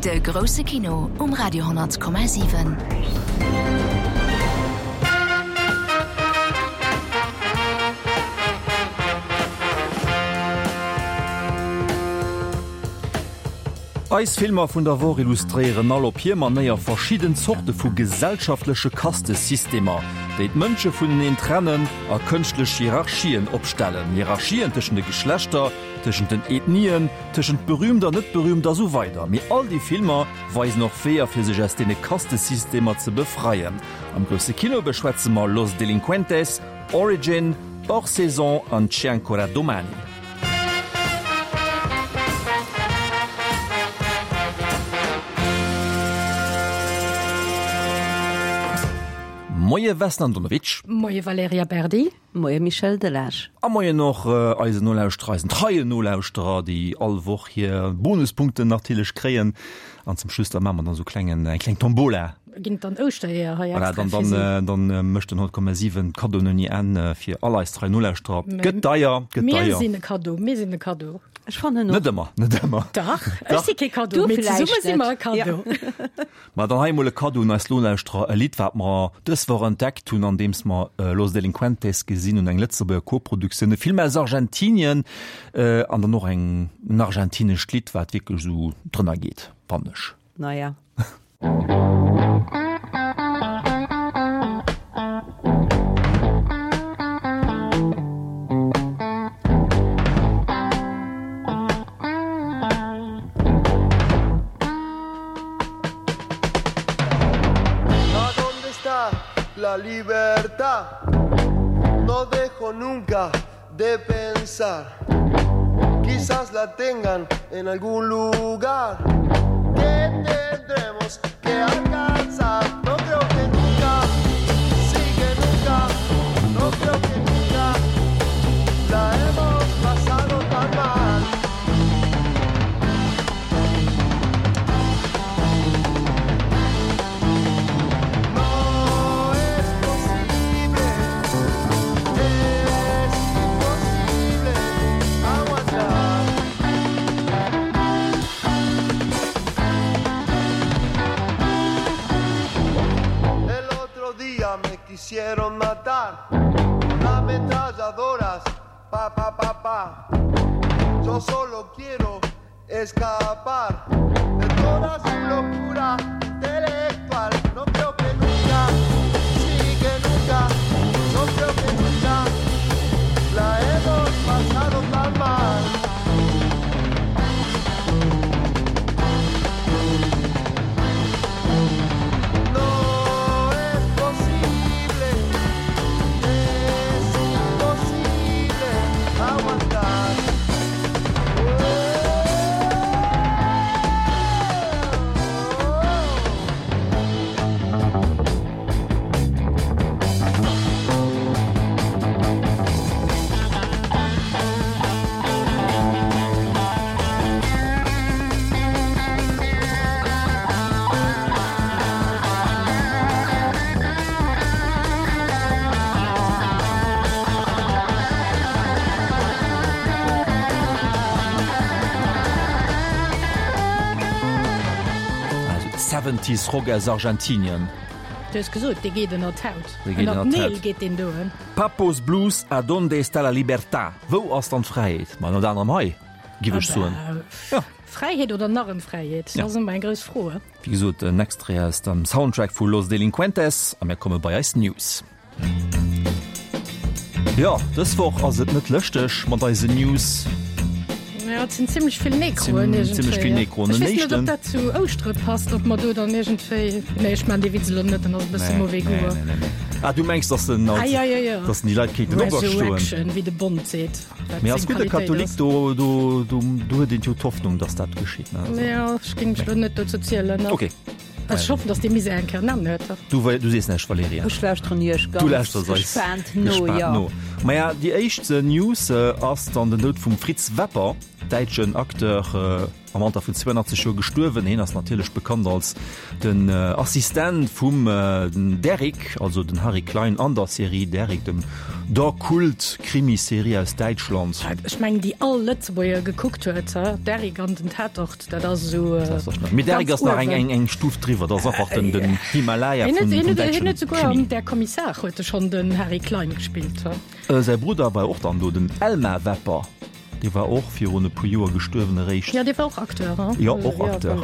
De grousse Kino um Radio 10,7. Eis Filmer vun der Woch illustréieren all op hir Manéier verschidden Zorte vu gesellschaftleche Kastesystemer, déi d'Mënsche vuneneen trennen a kënschtlech Hierarchien opstellen, Hierarchien tëschent de Geschlechter, tëschent den Ethnien, tëschent berühmt a net berühmt a sou weider. Mee all déi Filmer weisen och Weeër fir sech aus deene Kastesystemer ze befreien. Am grousse Kino beschwätze mer Los Delincuentes, Origin, Hors Saison an C'è ancora domani. Moie Vesna Andonovic. Moie Valerija Berdi. Moie Michel Delage. A moien och eisen Nolauschterer, eisen treien Nolauschterer, déi all Woch hir Bonuspunkten natierlech kréien. An zum Schluss da maache mer dann esou klengen, eng kleng Tombola. Ginn et dann Ouschtereeër hei extra fir si? Voilà, dann, dann mécht den 100,7 Kaddoen ouni Enn fir all eis trei Nolauschterer. Gëtt deier, gëtt deier. Mir sinn e Kaddo, mir sinn e Kaddo. Ech fannen och. Net ëmmer, net ëmmer. Dach, ech si kee Kaddo, mee zesumme si mer e Kaddo. Ma dann hei emol e Kaddo un eis Nolauschterer, e Lidd, wat mer dës Woch entdeckt hunn, andeems mer Los Delincuentes gesinn hunn, eng Lëtzebuerger Koproduktioun, e Film aus Argentinien, an dann och eng, en argentinescht Lidd, wat wierklech esou drënner geet, fannen ech. Naja. La libertad No dejo nunca de pensar Quizás la tengan en algún lugar Que tendremos que alcanzar No creo que nunca, sí que nunca No creo que nunca la hemos pasado tan mal No es posible, es imposible aguantar. El otro día me quisieron matar con ametralladoras, pa pa pa pa. Yo solo quiero escapar de toda su locura intelectual. No creo que nunca, sí que nunca, no creo que nunca la hemos pasado tan mal. No es posible, es imposible aguantar. Seventies Rock aus Argentinien. Du hues gesot, dee geet ënner d'Haut. Dee geet Ënner ënner d'Neel d'Haut. geet deen doen. Papos Blues, A donde está la libertad? Wou ass dann d'Fräiheet? Ma ënnert anerem hei, giff ech soen. Ja. Fräiheet oder Narrenfräiheet, dat ass ëmmer eng grouss Fro. Wéi gesot, en Extrait aus dem Soundtrack vu Los Delincuentes a mir komme bei eis News. Jo, dës Woch ass et net lëschteg mat eisen News. Ja, et sinn zimmlech vill Nekroen Zim, zimmlech vill iergendwéi. Nekroen. Ech Den weess net, ob éischten. dat zu Ouschtere passt, ob mer do dann iergendwéi, nee, ech maan dee Witz elo net, en ass e bësse Nee, mauvais nee, goût. nee, nee, nee. Ah, du mengs, dass den Ah, als, ja, ja, ja. dass den déi Leit kéinten operstoen. Resurrection, wéi de Bond seet, wat Mee als seng gudde Qualitéit Katholik, ass. do, do, do, do huet een jo d'Hoffnung, dass dat geschitt, ne? Also, Ja, ech géing mech elo net dozou zielen, ne? Okay. Ech hoffen, dass dee Misär eng Kéier en Enn huet. Du, du sees näischt, Valerija. Ech lauschteren iech Du ganz lauschters eis gespaant no, gespaant jo. no. Maja, déi éischt News ass dann den Doud vum Fritz Wepper, däitschen Acteur, am Alter vun 82 Joer gestuerwen. Hien ass natierlech bekannt als den Assistent vum Derrick, also den Harry Klein an der Serie Derrick, dem der Kult-Krimiserie aus Däitschland. Ech mengen déi all Lëtzebuerger gekuckt huet, Derrick an den Tatort, dat ass esou ganz Mee Derrick ass nach uewen. eng Stuf driwwer, dat ass einfach den Himalaya vum däitschen Krimi. Hien huet souguer an Der Kommissar huet e schonn den Harry Klein gespillt. Säi Brudder war och dann do, den Elmar Wepper. Dee war och virun e puer Joer gestuerwen eréischt. Jo, dee war och Acteur, hein? Jo, och Acteur.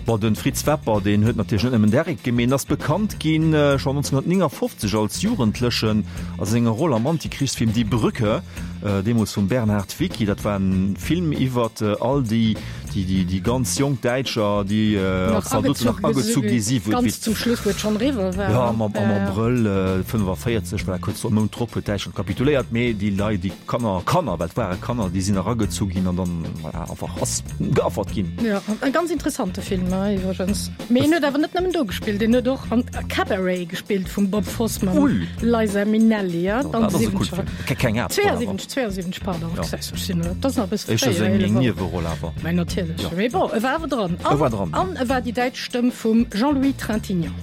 Bon, de Fritz Wepper, deen huet natierlech net nëmmen Derrick gemeet, en ass bekannt ginn schonn 1959 als Jugendlechen a senger Roll am Antikrichsfilm Die Brücke, deemools vum Bernhard Wicki. Dat war en Film iwwert all déi, déi, déi ganz jonk Däitscher, déi als Zaldoten nach agezu gi si. Ganz zum Schluss, wou et schonn eriwwer war. Jo, am Abrëll 45, voilà, kuerz e Mount drop huet Däitschland kapituléiert, mee déi Leit, déi Kanner, Kanner, well et ware Kanner, déi sinn eragezu ginn an dann, voilà, einfach ass geaffert ginn. Jo, e ganz interessante Film iwwregens. Mee en huet awer net nëmmen do gespillt, en huet och an Cabaret gespillt vum Bob Fosse mam Liza Minnelli, ja, an de siwwenzeger. Keng Aart. 72, 72, pardon. Ja. Ech sinn, dat ass nach e bësse fréier. Éischter eng eng Nieweroll awer. Mä natierlech. Mee bon, e war awer dran. E war dran. An e war déi däitsch Stëmm vum Jean-Louis Trintignant.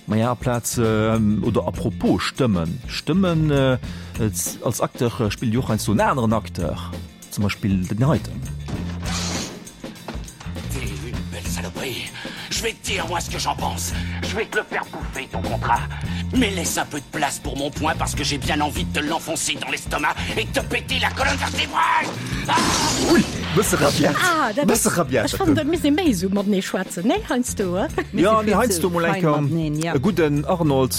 Maja, aplaz, oder à propos Stëmmen, Stëmmen, als Acteur spillt jo och heiansdo en aneren Acteur, zum Beispill den heiten. T'es une belle saloperie, je vais te dire moi ce que j'en pense, je vais te le faire bouffer ton contrat, mais laisse un peu de place pour mon poing parce que j'ai bien envie de te l'enfoncer dans l'estomac et de te péter la colonne vertébrale! Ah! Ui, bësse rabiat, Ah, dat bësse ass, rabiat ech fannen, dat misst ee méi esou matenee schwätzen, nee, heiansdo, eh? Jo, mee heiansdo mol eng Kéier e gudden Arnold,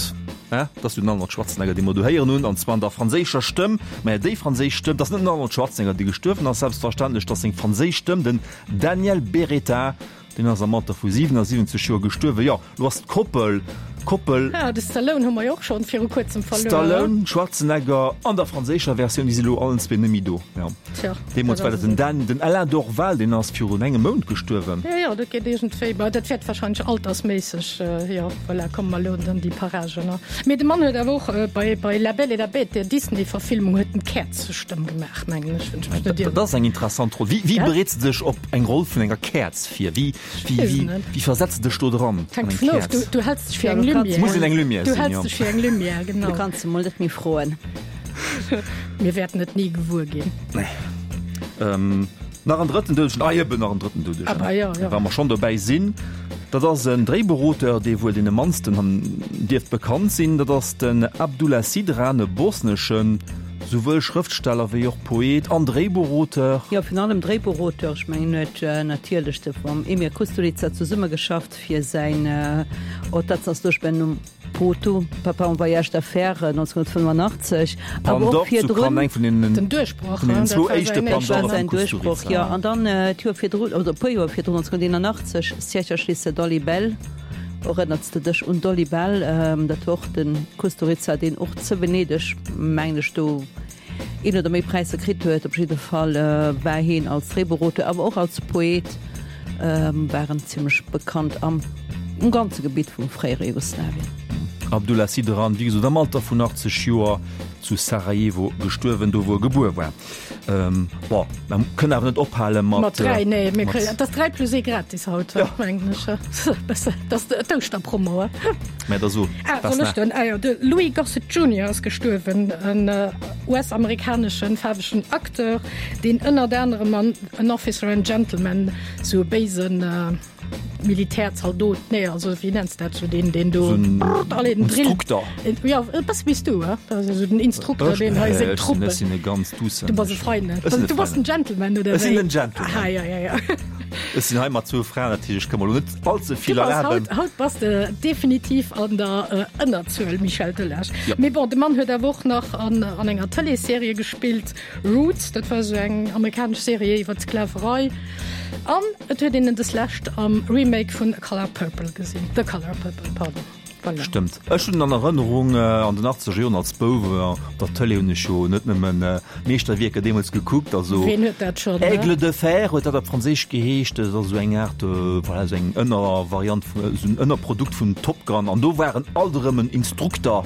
hè, dat ass jo den Arnold Schwarzenegger, dee mer do héieren hunn, an zwar an der franséischer Stëmm. Mä déi franséisch Stëmm, dat ass net den Arnold Schwarzenegger, dee gestuerwen ass, selbstverständlech, dat ass seng franséisch Stëmm, den Daniel Beretta, deen ass am Alter vu 77 Joer gestuerwen. Jo, lo ass d'Koppel, Koppel. Ah, de Stallone hu mer jo och schonn viru kuerzem verluer. Stallone, Schwarzenegger an der franséischer Versioun, déi si lo allen zwee net méi do. Jo. Tja, Deemools war dat den Dan, den Alain Dorval, deen ass virun engem Mount gestuerwen. Jo, jo, dat geet iergendwéi, ma dat wäert wahrscheinlech altersméisseg, jo, voilà, komme mer elo an déi Paragen, ne. Mee de Mann huet awer och bei, bei La Belle et la Bête, der Disney-Verfilmung, huet en d'Käerzestëmm gemaach, mengen ech, wann ech mech net ieren. Dat ass eng interessant Roll. Wéi, wéi bereets de dech op eng Roll vun enger Käerz vir? Wéi, wéi, wéi, wéi versetz de dech do dran? Hänkt dovun of, du, du häls dech fir eng Lumière. Muss een eng Lumière sinn, jo. Du häls dech fir eng Lumière, genau. Du kanns emol net méi froen. Mir wäerten et ni gewuer ginn. Nee. Ähm, nach en drëtten Doudegen, ah eben nach en drëtten Doudegen. Ah, ja, ja. Wa mer schonn dobäi sinn, dat ass en Dréibuchauteur, dee wuel deene mannsten han dierft bekannt sinn. Dat ass den Abdullah Sidran, e bosneschen, souwuel Schrëftsteller wéi och Poet an Dréibuchauteur. Jo, virun allem Dréibuchauteur. Ech mengen, en huet natierlech de mam Emir Kusturica zesummegeschafft fir säin Otac na službenom Poto, Papa en voyage d'affaires 1985, awer och virdrun. Den Duerchbroch, vun deenen zwou éischte Palme d'Or vum Kusturica. Jo, an dann d'Joer virdrun, oder e puer Joer virdrun, 1981, Sjećaš li se Dolly Bell? Erënners de dech un Dolly Bell? Dat war och de Kusturica, deen och zu Venedeg, mengen ech, do een oder méi Präisser kritt huet. Op jidde Fall war heen als Dréibuchauteur, awer och als Poet war en zimmlech bekannt am um ganze Gebitt vum fréiere Jugoslawien. Abdullah Sidran, wéi gesot am Alter vun 80 Joer zu Sarajevo gestuerwen, do wou e gebuer war. Bon, mer kënnen awer net ophale mat. Mat 3, nee, mir kréien, et ass 3 plus 1 gratis haut, mengen ech. Dat ass d'Ouschterpromo. Mä da so. Ah, soll ech dann? Ah jo, de Louis Gossett Junior ass gestuerwen, en US-amerikaneschen faarwegen Acteur, deen ënnert anerem an An Officer and Gentleman sou e béisen Militärzaldot, nee, also wéi nenns dat, sou deen, deen do alle den Drill. Instrukter. Jo, e bësse wéi s du, he? Also sou den Instrukter, deen hei seng Truppen. Ech sinn e ganz duussen. Du bass e Feinen. Du bass den Gentleman, oder wéi? Ech sinn den Gentleman. Ah, ja, ja, ja. Ech sinn hei mat zwou Fraen, dat heescht, ech ka mer elo net all ze vill erlaben. Du bass haut, haut bass de definitiv an der Ënnerzuel, Michel Delage. Mee bon, de Mann huet awer och nach an, an enger Tëleesserie gespillt, Roots, dat war esou eng amerikanesch Serie iwwer d'Sklaverei. An et huet een en deslescht am Remake vun A Color Purple gesinn, The Color Purple, pardon. Voilà. Stëmmt. Ech hunn an Erënnerung, an den achtzeger Joren als Bouf op der Tëlee hunn ech jo net nëmmen Meeschterwierker deemools gekuckt, also Ween huet dat schonn, ne? Aigle de fer huet dat op Franséisch geheescht, dat ass esou eng Aart, voilà, esou eng Ënnervariant, esou en Ënnerprodukt vun Top Gun an do war en alt erëm en Instrukter.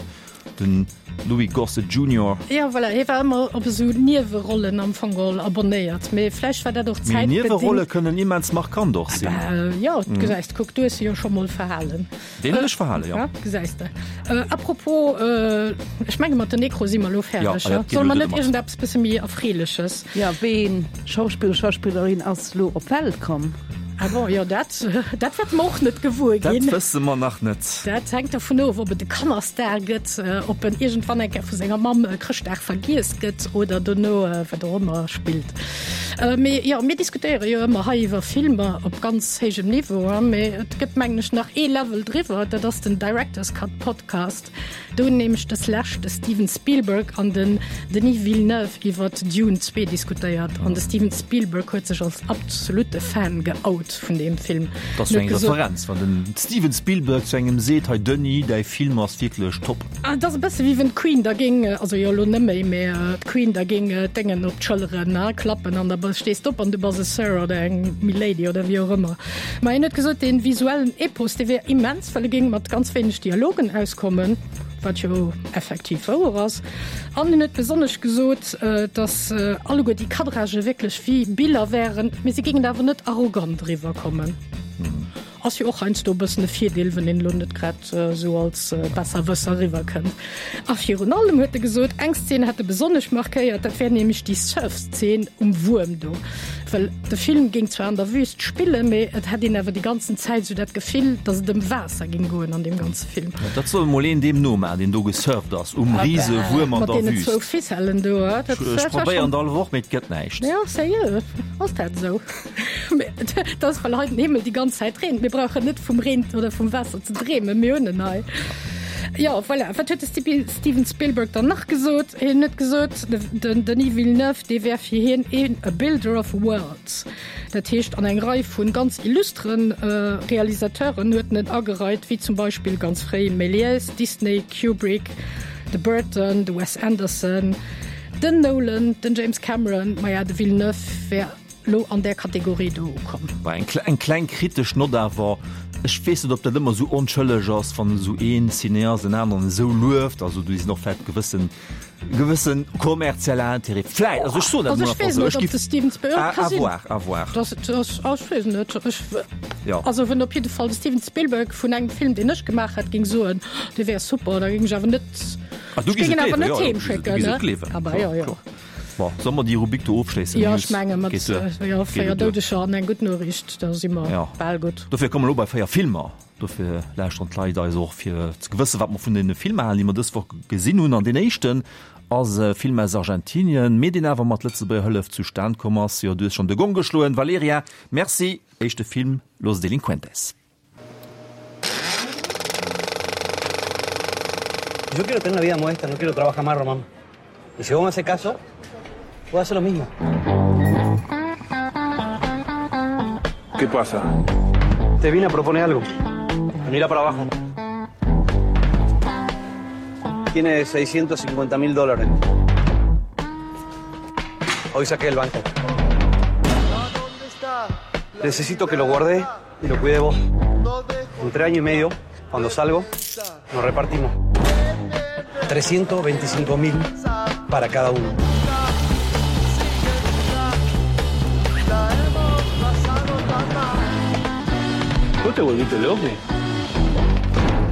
Den Louis Gossett Junior. Jo, voilà, hie war ëmmer op esou Niewerollen am Fong geholl abonnéiert, mee vläicht war dat och Mee Niewerolle zäitbedingt. kënnen immens markant och sinn. Bah, jo, gesäis de, kuck, du hues se jo scho mol verhalen. Deen hunn ech verhalen, jo. Ja, gesäis de. Apropos, ech menge mat den Necro si mer elo fäerdeg, Ja, solle mer net iergendeppes bësse méi Erfreeleches? Jo, wéi een Schauspiller, Schauspillerin ass lo op d'Welt komm? Ah bon, jo, dat, dat wäerte mer och net gewuer ginn. Dat wësse mer nach net. Dat hänkt dovun of, ob et e Kannerstar gëtt, ob en iergendwann eng Kéier vu senger Mamm Chrëschtdag vergiess gëtt oder dono wat och ëmmer spillt. Mee jo, mir diskutéiere jo ëmmer hei iwwer Filmer op ganz héijem Niveau, mee et gëtt mengen ech nach ee Level driwwer, dat ass den Director's Cut Podcast. Do hunn nämlech des Lescht de Steven Spielberg an den Denis Villeneuve iwwert Dune 2 diskutéiert an de Steven Spielberg huet sech als absolutte Fan geout vun deem Film. Dat ass jo eng Referenz, wann den Steven Spielberg zu engem seet, hei Denis, däi Film ass wierklech top. Et ass e bësse wéi wenn d'Queen da géing, also jo elo net méi, mä d'Queen da géing d'Déngen op d'Schëlleren klappen an da stees d'op an du bass e Sir oder eng Milady oder wéi och ëmmer. Ma hien huet gesot, dee visuellen Epos, dee wär immens, well e géing mat ganz wéineg Dialogen auskommen, wat jo effektiv wouer ass. An hien huet besonnesch gesot, datt alleguer déi Cadragë wierklech wéi Biller wären, mee se géingen awer net arrogant eriwwerkommen. Ass jo och heiansdo e bëssen e Virdeel, wann een elo net grad esou als Besserwësser eriwwerkënnt. A virun allem huet e gesot, eng Szen hätt e besonnesch markéiert, dat wär nämlech déi Surfszeen um Wuerm do. Well de Film géing zwar an der Wüst spillen, mee et hätt een awer déi ganzen Zäit esou dat Gefill, datt et ëm Waasser géing goen an deem ganze Film. Dat soll emol een deem nomaachen, deen do gesurft ass um rise Wuerm an der Wüst. Mat deenen zwou Ficellen do. Ech probéieren et all Woch, mee et gëtt näischt. Jo, sérieux, ass dat esou? Dat ass, well hei den Himmel déi ganz Zäit reent. Mir brauchen net vum Reen oder vum Waasser ze dreemen, mir hunn en hei. Jo, voilà. Wat huet de Steven Spielberg dann nach gesot? Hien huet gesot, den Denis Villeneuve, dee wär fir hien een a builder of worlds. Dat heescht, an eng Rei vu ganz illustren Realisateuren huet en en agereit, wéi zum Beispill ganz fréi Méliès, Disney, Kubrick, de Burton, de Wes Anderson, den Nolan, den James Cameron. Maja, de Villeneuve wär lo an där Kategorie do ukomm. Bah, eng, eng kleng kritesch Nott awer, Ech weess net, ob dat ëmmer esou onschëlleg ass, wann esou een Cineast en aneren esou lueft. Also do sinn och vläicht gewëssen, gewëssen kommerziell Intérêt. Vläicht, also ech soen dat Also emol ech einfach weess esou. net, Ech ob giff, de Steven Spielberg, à, ka à sinn. voir, à voir. Dass, dass, ah, ech weess net. Ech, Jo. also wenn op jidde Fall de Steven Spielberg vun engem Film, deen ech gemaach hätt, géing soen, dee wär super, da géing ech awer net, Ah, du ech giss géing et en awer gleewen, net jo, jo, heem du schécken, giss ne? et gleewen, Ah bah, kloer, jo, jo. kloer. Bon, solle mer déi Rubrik do ofschléissen? Jo, News ech menge mat geet duer. jo, Geet 4 elo duer. Doudeger an eng gutt Noriicht, da si mer Ja. bal gutt. Dofir komme mer elo bei 4 Filmer. Dofir lauschteren d'Leit eis och, fir ze gewëssen, wat mer vun deene Filmer halen, déi mer dës Woch gesinn hunn. An deen éischten ass e Film aus Argentinien, mee deen awer mat Lëtzebuerger Hëllef zustan komm ass. Jo, du hues schonn de Gong geschloen, Valerija. Merci. Éischte Film, Los Delincuentes. Yo quiero tener una vida modesta, no quiero trabajar más, Román. Y si vos me haces caso, voy a hacer lo mismo. ¿Qué pasa? Te vine a proponer algo. Mira para abajo. Tiene 650 mil dólares. Hoy saqué el banco. Necesito que lo guarde y lo cuide vos. Entre año y medio, cuando salgo, nos repartimos. 325 mil para cada uno. ¿Vos te volviste loco?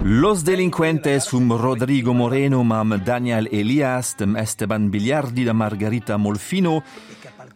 Los Delincuentes vum Rodrigo Moreno mam Daniel Elias, dem Esteban Bigliardi, der Margarita Molfino.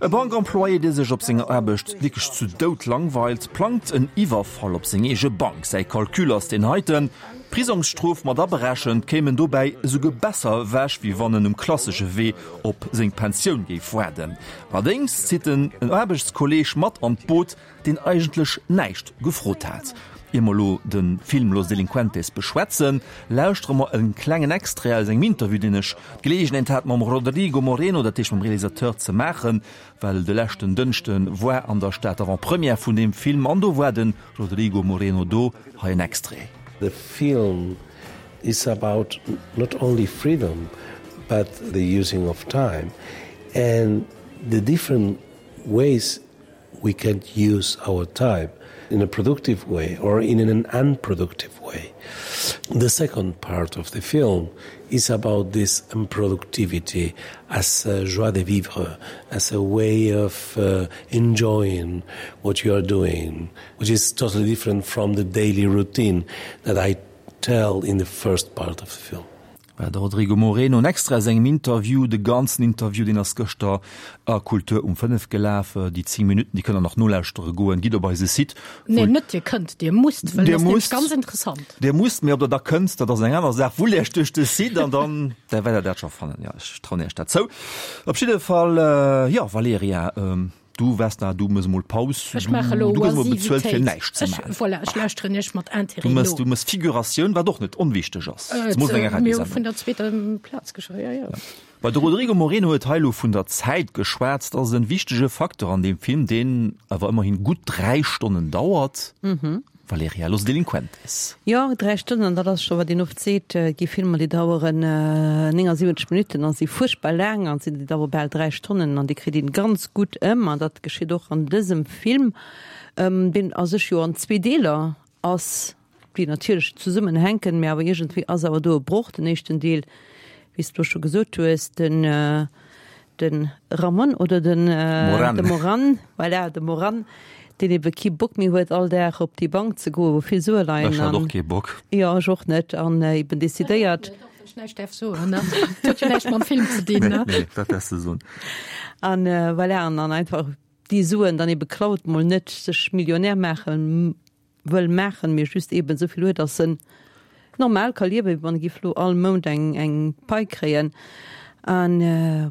E Bankemployé, dee sech op senger Aarbecht wierklech zu Doud langweilt, plangt en Iwwerfall op seng eege Bank. Säi Calcul ass deen heiten, D'Prisongsstrof mat aberechent, kéim en dobäi esouguer besser ewech, wéi wann en um klassesche Wee op seng Pensioun géif waarden. Allerdéngs zitt en en Aarbechtskolleeg mat an d'Boot, deen eigentlech näischt gefrot hat. Ier mer elo de Film Los Delincuentes beschwätzen, lauschtere mer e klengen Extrait aus engem Interview, deen ech d'Geleegenheet hat mam Rodrigo Moreno, dat heescht mam Realisateur, ze maachen, well de leschten Dënschde war an der Stad d'Avant-première vun deem Film an do war de Rodrigo Moreno do. Hei en Extrait. The film is about not only freedom, but the using of time and the different ways we can use our time. in a productive way or in an unproductive way. The second part of the film is about this unproductivity as a joie de vivre, as a way of uh, enjoying what you are doing, which is totally different from the daily routine that I tell in the first part of the film. War de Rodrigo Moreno en Extrait aus engem Interview. De ganzen Interview, deen ass gëschter a Kultur um 5 gelaf. Déi 10 Minutten, déi kënnt der nach nolauschtere goen. Gitt op eise Site. Nee, net dir kënnt, dir musst, well et ass nämlech ganz interessant. Dir musst, mee ob der da kënnt, dat ass eng aner Saach. Wullt Iech duerch de Site an dann da wäert der dat scho fannen. Jo, ech trauen Iech dat zou. Op jidde Fall, jo, Valerija, Du Vesna, du mëss emol Paus. Ech maache lo Du gëss emol bezuelt fir näischt ze maachen. Voilà, ech lauschteren iech mat Intérêt no. Du mëss, du mëss Figuratioun, wat och net onwichteg ass, zemools an enger Mir hu vun der zweeter Plaz geschwat, jo, jo. Bei de Rodrigo Moreno huet hei elo vun der Zäit geschwat. Dat ass en wichtege Facteur an deem Film, deen awer ëmmerhin gutt 3 Stonnen dauert. Valeria, Los Delincuentes. Jo, 3 Stonnen, an dat ass scho wat een oft seet, et gi Filmer, déi daueren 79 Minutten a si fuerchtbar laang, an sinn déi dauere bal 3 Stonnen an déi kritt een ganz gutt ëm. An dat geschitt och an dësem Film, deen a sech jo an zwee Deeler ass, déi natierlech zesummenhänken, mä awer iergendwéi ass awer do e Broch. Den éischten Deel, wéi s de elo scho gesot hues, den De Ramon oder den Moran. De Moran, voilà, de Moran, deen ebe kee Bock méi huet, all Dag op déi Bank ze goen, wou vill Sue leien. Ech hat och kee Bock. Jo, ech och net. An eben decidéiert. Wann ech näischt däerf soen, ne? Dat huet jo näischt mam Film ze dinn, ne? Nee, dat däerfs de soen. An voilà, an dann einfach déi Suen dann ebe klaut, mol net sech Millionär maachen wëll maachen, mee just eben esou vill huet, dass en normal ka liewen, wéi wann e giff elo all Mount eng eng Pai kréien. An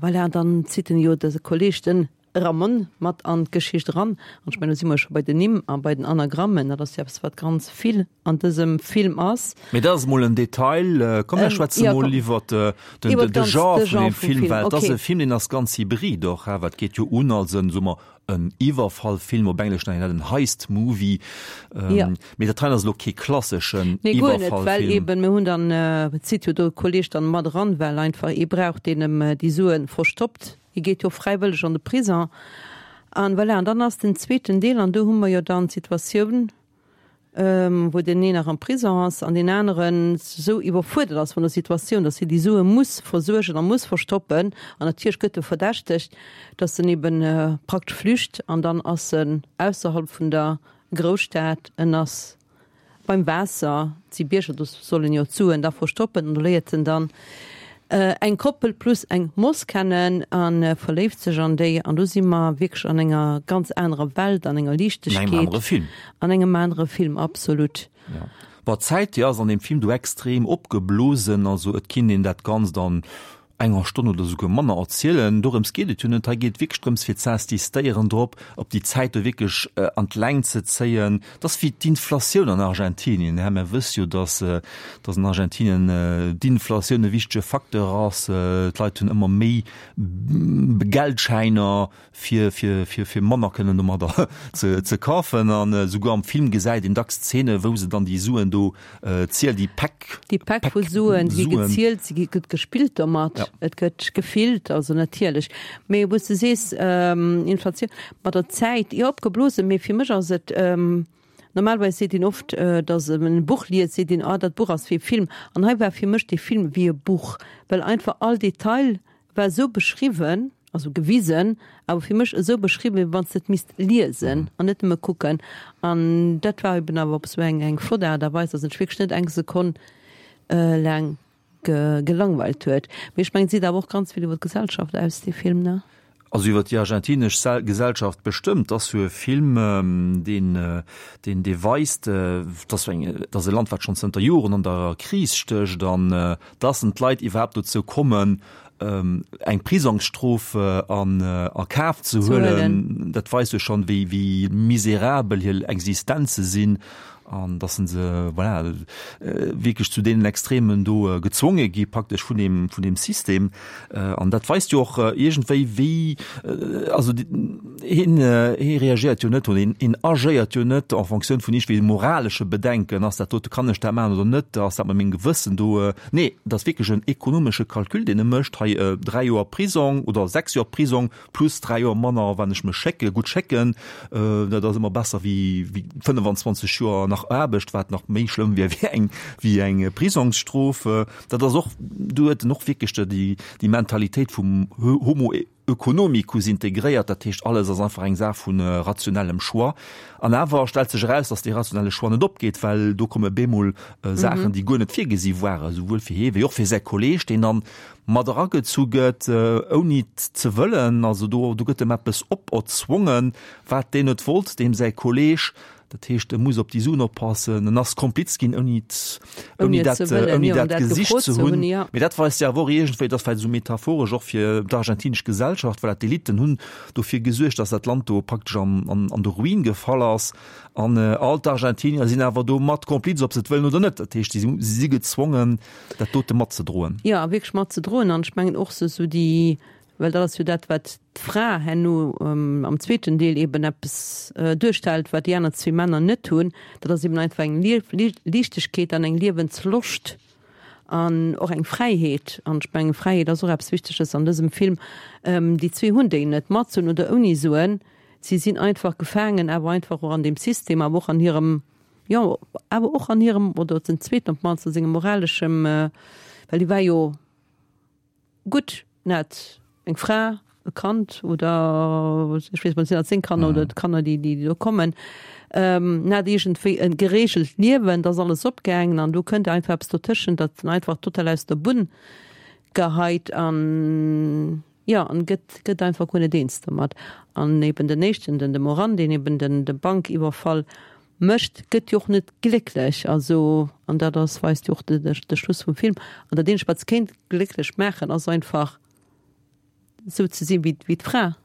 voilà, an dann zitt en jo dëse Kolleg, den Ramon, mat an d'Geschicht eran. An ech mengen, do si mer jo scho bei den Nimm a bei den Anagrammen. Dat ass jo eppes, wat ganz vill an dësem Film ass. Mee dat ass emol en Detail. Komm, mir schwätze mol iwwert den de Genre vun deem Film, well et ass e Film, deen ass ganz hybrid och, well et geet jo un als en, soe mer, En Iwwerfallfilm, op Englesch nennt een dat en Heist Movie. Ja. Mee dat hei ass elo kee klasseschen Nee, guer net, well Iwwerfallfilm. eben, mir hunn dann, et zitt jo do e Kolleg dann mat eran, well einfach ee brauch, deen em déi Suen verstoppt. Hie geet jo fräiwëlleg an de Prison. An voilà, an dann ass den zweeten Deel, an do hu mer jo dann d'Situatioun, wou deen een nach am Prison ass an deen aneren esou iwwerfuerdert ass vun der Situatioun, datt hie déi Sue muss versuergen a muss verstoppen. An natierlech gëtt e verdächtegt, datt en eben praktesch flücht an dann ass en ausserhalb vun der Grousstad, en ass beim Waasser, et si Bierger, do soll en jo d'Suen da verstoppen an do léiert en dann eng Koppel plus eng Moss kennen a verléift sech an déi. An do si mer wierklech an enger ganz anerer Welt, an enger Liichtegkeet. An engem anere Film. An engem anere Film, absolut. Ja. Bon, d'Zäit, déi ass an deem Film do extrem opgeblosen. Also et kinnt een dat Ganzt an enger Stonn oder souguer manner erzielen. Dorëms geet et jo net. Hei geet et wierklech drëms, fir z'insistéieren drop, op déi Zäit do wierklech an d'Längt ze zéien. Et ass wéi d'Inflatioun an Argentinien. Här, mer wësse jo, dass, dass an Argentinien d'Inflatioun e wichtege Facteur ass. D'Leit hunn ëmmer méi Geldschäiner, fir, fir, fir, fir manner kënnen domadder ze, ze kafen. An esouguer am Film gesäit een dacks Zeene, wou se dann déi Suen do zielen, déi Päck. Déi Päck vu Suen, déi gi gezielt, se gi, gëtt gespillt domat, ja. Et gëtt gefillt, also natierlech. Mee wou s de sees, Inflatioun, mat der Zäit, jo, opgeblosen, mee fir mech ass et, normalerweis seet een oft, datt en e Buch liest, seet een, ah, dat Buch ass wéi e Film. An hei war fir mech dee Film wéi e Buch, well einfach all Detail war esou beschriwwen, also gewisen, awer fir mech esou beschriwwen, wéi wann s de et misst liesen an net nëmme kucken. An dat war eben awer op esou eng eng flott Aart a Weis, datt en sech wierklech net eng Sekonn laang gelangweilt huet. Mee ech mengen, et seet awer och ganz vill iwwer d'Gesellschaft aus, dee Film, ne? Also iwwer déi argentinesch Gesellschaft bestëmmt. Et ass jo e Film, deen, deen, dee weist, dass eng, dass e Land, wat schonn zënter Joren an der Kris stécht an dass en d'Leit iwwerhaapt dozou kommen, eng Prisongsstrof an a Kaf ze huelen, dat weist jo schonn, wéi, wéi miserabel hir Existenze sinn. An dass se se, voilà, wierklech zu deenen Extremen do gezwonge gi praktesch vun deem, vun deem System. An dat weist jo och iergendwéi, wéi, also hien, hie reagéiert jo net oder hien, hien agéiert jo net en Fonctioun vun iergendwéi moralesche Bedenken, ass dat dote, kann ech dat maachen oder net, ass dat mat mengem Gewëssen do. Nee, et ass wierklech en ekonomesche Calcul, deen e mécht, hei 3 Joer Prisong oder 6 Joer Prisong plus 3 Joer manner, wann ech mech schécke, gutt schécken, dat ass ëmmer besser wéi 25 Joer nach Aarbecht, wat nach méi schlëmm wier wéi eng, wéi eng Prisongsstrof. Dat ass och, do huet en och wierklech déi, déi Mentalitéit vum Homo economicus integréiert, dat heescht alles ass einfach eng Saach vu rationellem Choix. An awer stellt sech eraus, datt dee rationelle Choix net opgeet, well do komme bemol Saachen, déi guer net virgesi waren, esouwuel fir hie wéi och fir säi Kolleeg, deen dann mat eragezu gëtt, ouni et ze wëllen. Also do, do gëtt em eppes operzwongen, wat deen net wollt, deem säi Kolleeg. Dat heescht, e muss op déi Suen oppassen, en ass Kompliz ginn, ouni et, ouni dat, ouni dat gesicht ze hunn. Mee dat weist jo awer och iergendwéi, dat ass vläicht esou metaphoresch och fir d'argentinesch Gesellschaft, voilà, d'Eliten hunn dofir gesuergt, datt dat Land do praktesch an, an, an de Ruin gefall ass. An all d'Argentinier sinn awer do mat Kompliz, ob se et wëllen oder net. Dat heescht, si si gezwongen, dat dote matzedroen. Jo, a wierklech matzedroen. An ech mengen och esou déi, well dat ass jo dat, wat d'Fra herno am zweeten Deel eben eppes duerstellt, wat déi aner zwee Männer net hunn, dat ass eben einfach eng Liichtegkeet an eng Liewensloscht an och eng Fräiheet. An ech mengen, Fräiheet ass och eppes Wichteges an dësem Film. Déi zwee hunn déi net, mat Suen oder ouni Suen. Si sinn einfach gefaangen, awer einfach och an deem System, awer och an hirem Jo, awer och an hirem, oder den zweeten op d'mannst, a sengem moraleschem, well hie war jo gutt, en hat eng Fra, e Kand oder ech weess net, sinn dat seng Kanner oder d'Kanner, déi déi do kommen, en hat iergendwéi e gereegelt Liewen, et ass alles opgaangen an do kënnt einfach eppes dotëschent, dat en einfach total aus der Bunn geheit an. Jo, an gëtt, gëtt einfach guer net eens domat. An eben den éischten, den de Moran, deen eben den, de Bankiwwerfall mécht, gëtt jo och net glécklech. Also, an dat ass, weist jo och de, de, de Schluss vum Film. An dat eenzegt, wat se kéint glécklech maachen, ass einfach esou ze sinn wéi, wéi d'Fra,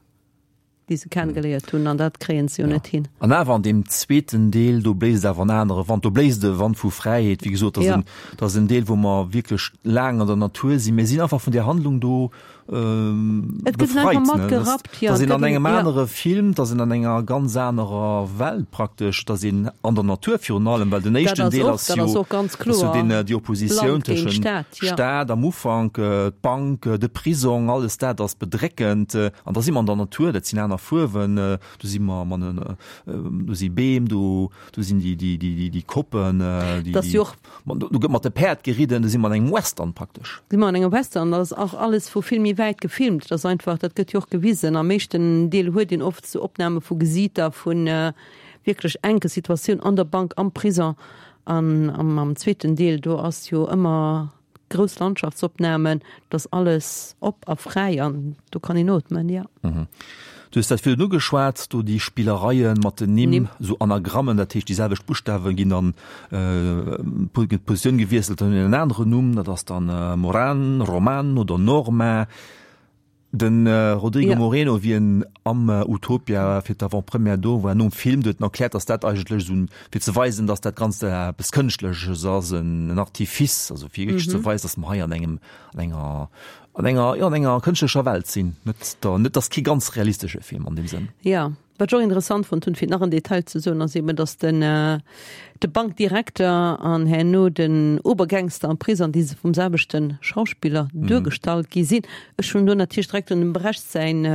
déi se kengeléiert hunn. An dat kréien se jo net hin. An awer an deem zweeten Deel, do bléist awer en anere Wand, do bléist e Wand vu Fräiheet. Wéi gesot, dat ass en, dat ass en Deel, wou mer wierklech laang an der Natur sinn. Mir sinn einfach vun där Handlung do Et gëtt einfach matgerappt, jo. Dass een an engem anere Film, dass een an enger ganz anerer Welt praktesch, dass een an der Natur virun allem, well den éischten Deel ass jo deen, déi Oppositioun tëschent Stad am Ufank, d'Bank, de Prisong, alles dat ass bedréckend. An da si mer an der Natur, dat sinn aner Fuerwen, do si mer, do si Beem, do sinn déi Koppen, déi. Do gëtt mat de Päerd geridden, do si mer an engem Western praktesch. Si mer an engem Western, dat ass och alles vu vill méi wäit gefilmt. Dat ass einfach, dat gëtt jo och gewisen. Am éischten Deel huet een oft sou Opname vu Gesiiter, vu wierklech enke Situatioun an der Bank, am Prison. An am zweeten Deel, do ass jo ëmmer grouss Landschaftsopnamen, et ass alles op a fräi an do kann een ootmen, jo. Du hues dat virdrun ugeschwat, do déi Spillereie mat den Nimm, esou Anagrammen, dat heescht déi selwecht Buschtawe ginn dann, gëtt d'Positioun gewiesselt, dann hunn en aneren Numm, dat ass dann Moran, Roman oder Norma. De Rodrigo Moreno, wéi en am Utopia fir d'Avant-première do war, nom Film, do huet en erkläert, datt dat eigentlech esou fir ze weisen, datt dat Ganzt eppes Kënschtleches ass, en Artifice, also fir wierklech ze weisen, datt mer hei an engem, an enger, an enger, jo, an enger kënschtlecher Welt sinn. Net der, net, ass kee ganz realistesche Film an deem Sënn. Jo. Wat ech och interessant fonnt hunn, fir nach en Detail ze soen, ass eben, datt den de Bankdirekter an herno den Obergangster am Prisong, déi se vum selwechte Schauspiller duergestallt gi sinn. Ech hunn do natierlech direkt un dem Brecht säin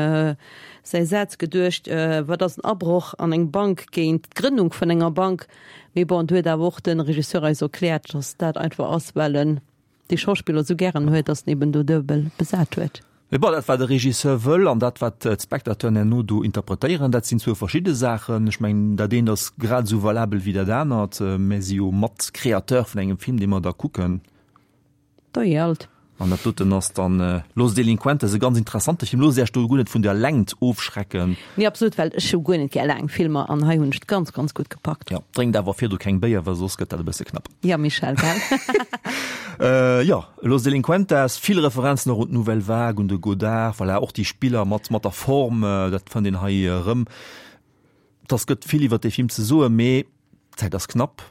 säi Saz geduecht, Wat ass en Abroch an eng Bank géint d'Grënnung vun enger Bank? Mee bon, do huet awer och de Regisseur eis erkläert, datt dat einfach ass, well en dee Schauspiller esou gären huet, datt en eben do duebel besat huet. Mee bon, dat wat de Regisseur wëll an dat wat d'Spectateuren herno do interpretéieren, dat sinn zwou verschidde Saachen. Ech mengen, dat eent ass grad esou valabel wéi dat anert. Mär si jo mat Créateur vun engem Film, dee mer da kucken. Dajee alt. An dat doten ass dann Los Delincuentes, e ganz interessante Film. Loosst Iech do guer net vun der Längt ofschrecken. Nee, absolut, well ech hu guer net gär laang Filmer an hei hunn ech et ganz, ganz gutt gepackt. Jo, drénkt awer virdu keng Béier, well soss gëtt dat e bësse knapp. Ja, Michel, gell? Jo, Los Delincuentes, vill Referenzen och un d'Nouvelle Vague, un de Godard, voilà, och déi Spiller mat mat der Form, dat fënnt een hei erëm. Et ass gëtt vill iwwer dee Film ze soen, mee d'Zäit ass knapp.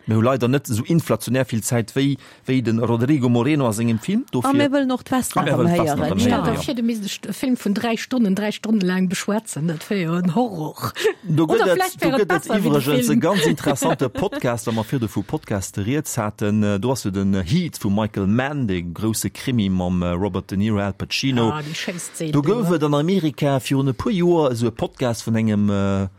Mir hu leider net esou inflationär vill Zäit wéi wéi de Rodrigo Moreno a sengem Film. Dofir. A mir wëllen och d'Vesna erëm héieren. Stell der vir, du misst e Film vun 3 Stonnen, 3 Stonne laang beschwätzen. Dat wär jo en Horror. Do gëtt et, do gëtt et iwwregens e ganz interessante Podcast, wa mer virdu vu Podcaste rieds haten. Do ass jo den Heat vum Michael Mann, dee grousse Krimi mam Robert De Niro, Al Pacino. Ah, déi schéi Szene Do gouf et an Amerika virun e puer Joer esou e Podcast vun engem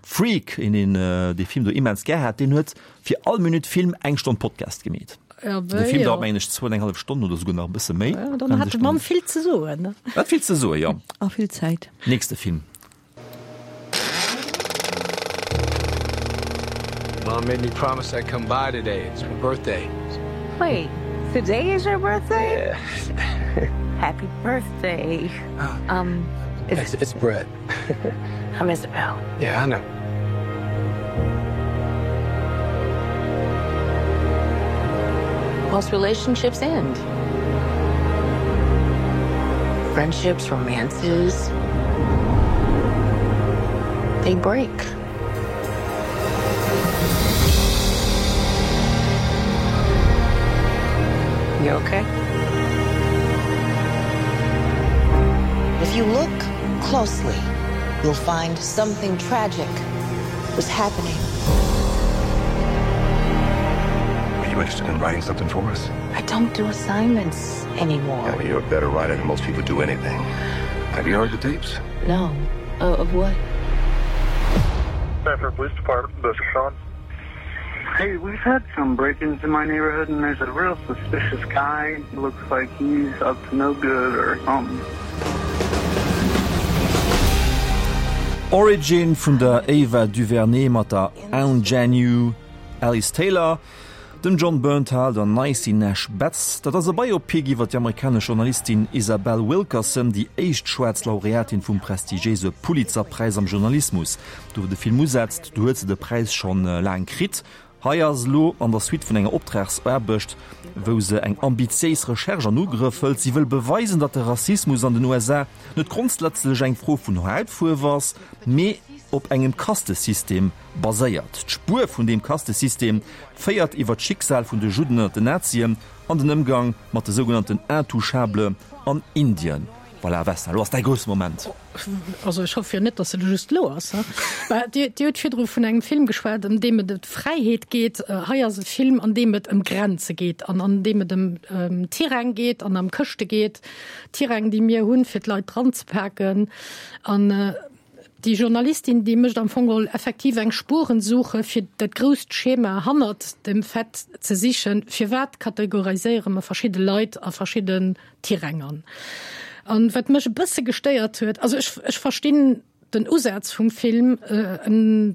Freak, een, deen dee Film do immens gär hat. Deen huet fir all Minutt Film eng Stonn Podcast gemeet. Ja, De Film dauert mengen ech zwou an eng hallef Stonn oder souguer nach e bësse méi. Ja, dann hat de Mann vill ze soen. Hat vill ze soen, jo. A vill Zäit. Nächste Film. Mom made me promise I'd come by today. It's my birthday. Wait, today is your birthday? Yeah. Happy birthday. Um, it's, it's, it's Brett. I'm Isabel. Yeah, I know. Most relationships end. Friendships, romances, they break. You okay? If you look closely, you'll find something tragic was happening. Are you interested in writing something for us? I don't do assignments anymore. Yeah, well, you're a better writer than most people do anything. Have you heard the tapes? No. Uh, of what? Sanford Police Department, this is Sean. Hey, we've had some break-ins in my neighborhood and there's a real suspicious guy. Looks like he's up to no good or something. Origin vun der Ava DuVernay mat der Aunjanue Ellis Taylor, dem Jon Bernthal, der Niecy Nash Betts. Dat ass e Biopic iwwer déi amerikanesch Journalistin Isabel Wilkerson, déi éischt schwaarz Laureatin vum prestigiéise Pulitzer-Präis am Journalismus. Do wou de Film usetzt, do huet se de Präis schonn laang kritt. Hei ass elo an der Suite vun enger Optragsaarbecht, wou se eng ambitiéis Recherche an Ugrëff hëlt. Si wëll beweisen, datt de Rassismus an den USA net grondsätzlech eng Fro vun Hautfuerf ass, mee op engem Kastesystem baséiert. D'Spuer vun deem Kastesystem féiert iwwer d'Schicksal vun de Judden ënner den Nazien an den Ëmgang mat de sougenannten Intouchables an Indien. Voilà, Vesna, elo ass däi grousse Moment. Also ech hoffe jo net, datt et just elo ass. Mä Dir, Dir hutt virdru vun engem Film geschwat, ëm deem et ëm d'Fräiheet geet. Hei ass e Film, an deem et ëm Grenze geet an an deem et ëm Tiräng geet an ëm Këschte geet. Tiräng, déi mir hunn, fir d'Leit dranzepaken. An déi Journalistin, déi mécht am Fong geholl effektiv eng Spurensuche, fir dat grousst Schema hannert dem Fait ze sichen, firwat kategoriséiere mer verschidde Leit a verschidden Tiräng an. An wat mech e bësse gestéiert huet, also ech, ech verstinn den Usaz vum Film,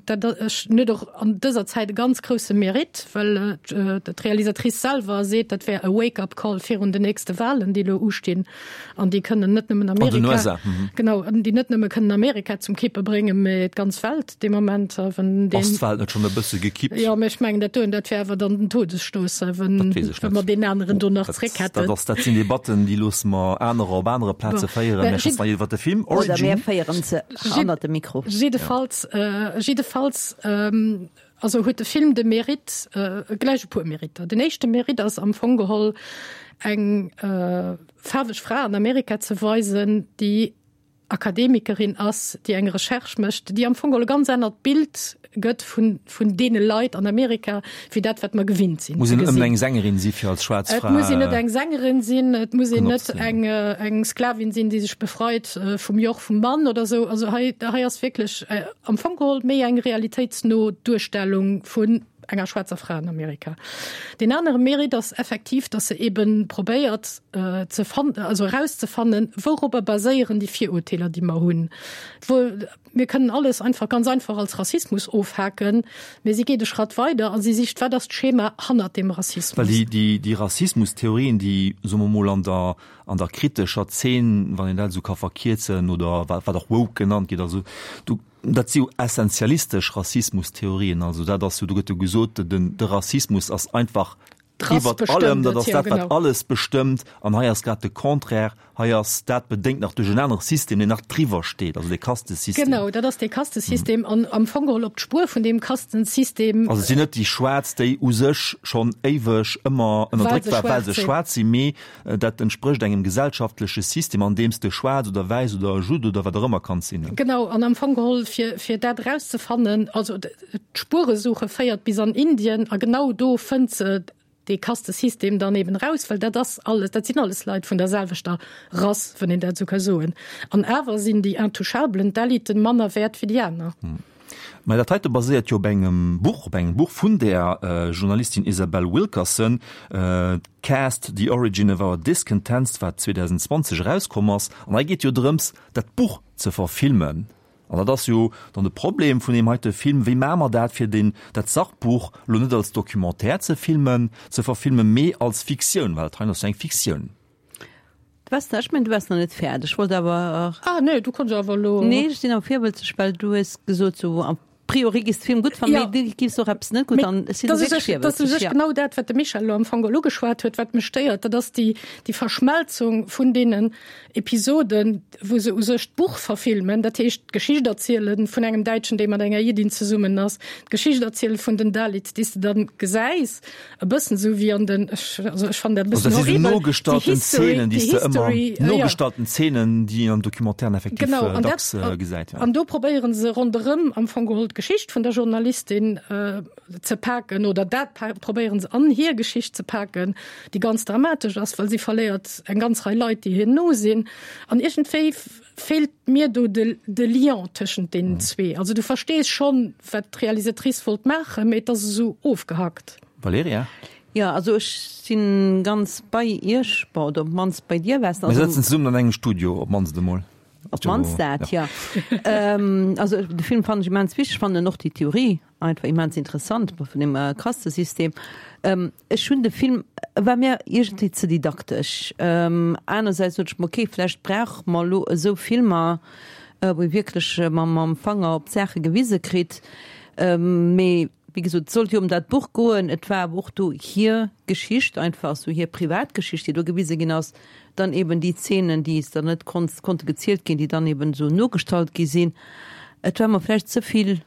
dat ech net och an dëser Zäit e ganz grousse Mérite, well d'Realisatrice selwer seet, dat wär e Wake-up Call virun den nächste Wahlen, déi elo ustinn an déi kënnen net nëmmen Amerika, genau, déi net nëmme kënnen Amerika zum Kippe bréngen, mä d'ganz Welt dee Moment, wenn deen. Ass d'Welt net schonn e bësse gekippt? Jo, mä ech mengen, dat doen, dat wär awer dann den Todesstouss, wenn, wenn mer deen aneren do nach zréck hätten. Dat ass, dat sinn Debatten, déi loosse mer anerer op anere Plaze féieren. Mä schwätze mer iwwer de Film Origin. Oder mir féieren se hannert dem Mikro. Jiddefalls, jiddefalls, also huet de Film de Mérite, gläich e puer Mériter. Den éischte Mérite ass am Fong geholl eng faarweg Fra an Amerika ze weisen, déi Akademikerin ass, déi eng Recherche mécht, déi am Fong geholl e ganz anert Bild gëtt vun, vun deene Leit an Amerika, wéi dat, wat mer gewinnt sinn Muss ze een net ëmmer gesinn. eng Sängerin si fir als schwaarz Et Fra muss een net eng Sängerin sinn, et muss een net eng, eng Sklavin sinn, déi sech befreit vum Joch vum Mann oder esou. Also hei, hei ass wierklech am Fong geholl méi eng realitéitsno Duerstellung vun enger schwaarzer Fra an Amerika. Deen anere Mérite ass effektiv, dass se eben probéiert ze fan-, also erauszefannen, wourobber baséieren déi Virurteeler, déi mer hunn. Wou, mir kënnen alles einfach, ganz einfach als Rassismus ofhaken, mä si geet e Schratt weider a si sicht, wat ass d'Schema hannert deem Rassismus. Well déi, déi, déi Rassismustheorien, déi, soe mer mol, an der, an der kritescher Zeen, wann een dat esou ka verkierzen, oder wat, wat och woke genannt gëtt, also do, Dat si jo essentialistesch Rassismustheorien. Also dat ass jo, do gëtt jo gesot, den, de Rassismus ass einfach. Iwwert allem, dat ass dat, wat alles bestëmmt. An hei ass grad de Contraire, hei ass dat bedéngt nach duerch en anere System, deen nach driwwer steet, also dee Kastesystem. Genau, dat ass dee Kastesystem an am Fong geholl op d'Spuer vun deem Kastensystem. Also et sinn net déi Schwaarz, déi u sech schonn éiweg ëmmer ënnerdréckt waren, well se schwaarz sinn, mee dat entsprécht engem gesellschaftleche System, an deem s de schwaarz oder wäiss oder Judd oder wat och ëmmer kanns sinn. Genau, an am Fong geholl fir, fir dat erauszefannen, also D'Spueresuche féiert bis an Indien a genau do fënnt se dee Kastesystem dann eben raus, well dat ass alles, dat sinn alles Leit vun der selwechter Rass, wann een dat esou ka soen. An awer sinn déi Intouchablen, d'Eliten, manner wäert wéi déi aner. Mä dat heite baséiert jo op engem Buch, op engem Buch vun där Journalistin Isabel Wilkerson, Caste, The Origin of Our Discontents, wat 2020 erauskomm ass. An hei geet jo drëms, dat Buch ze verfilmen. An dat ass jo dann de Problem vun deem heite Film, Wéi maache mer dat, fir deen, dat Sachbuch elo net als Documentaire ze filmen, ze verfilmen, mee als Fiktioun, well dat hei ass jo eng Fiktioun. Du waars, ech mengen, du waars nach net fäerdeg. Ech wollt awer. Ah nee, du kanns awer elo. Nee, ech sinn awer virwëlzeg, well du hues gesot, sou a priori giss de Film gutt fannen, Ja. mee du giffs och eppes net gutt Mee fannen. Ech sinn dat ass u wierklech sech, dat ass u virwëlzeg, sech ja. genau dat, wat de Michel elo am Fong elo ugeschwat huet, wat mech stéiert, dat ass déi, déi Verschmelzung vun deenen Episoden, wou se u sech d'Buch verfilmen, dat heescht d'Geschicht erziele vun engem Däitschen, dee mat enger Jiddin zesummen ass, d'Geschicht erziele vun den Dalits, déi s de dann gesäis, e bëssen esou wéi an den, ech, also ech fannen dat e Also bëssen dat si sou horribel, déi nogestalten History, Zeenen, déi déi s de ëmmer, History, ja. nogestalten Zeenen, déi een an Documentairen effektiv Genau, an dat, dacks gesäit, ja. an do probéiere se ronderëm am Fong geholl d'Geschicht vun der Journalistin ze paken oder dat probéiere se an hir Geschicht ze paken, déi ganz dramatesch ass, well si verléiert eng ganz Rei Leit, déi hir no sinn. An iergendwéi feelt mir do de, de Lien tëschent deenen zwee. Also du verstees schonn, wat d'Realisatrice wollt maachen, mee et ass esou ofgehackt. Valerija? Jo, also ech si ganz bei Iech, bon, oder op d'mannst bei dir, Wes. Mir sëtzen zesummen an engem Studio, op d'mannst emol. Op d'mannst dat, jo. Also de Film fannen ech immens wichteg, fannen och déi Theorie einfach immens interessant vun dem Kastesystem. Ech hunn de Film, e war mir iergendwéi ze didaktesch. Anersäits sot ech mer, okay, vläicht brauche mer elo esou Filmer, wou ee wierklech mam Fanger op d'Saache gewise kritt. Mee wéi gesot, et sollt jo ëm dat Buch goen. Et war awer och do hir Geschicht einfach, esou hir privat Geschicht, déi do gewise ginn ass. Dann eben déi Zeenen, déi es dann net konnt, konnte gezielt ginn, déi dann eben esou nogestallt gi sinn. Et war mer vläicht ze vill,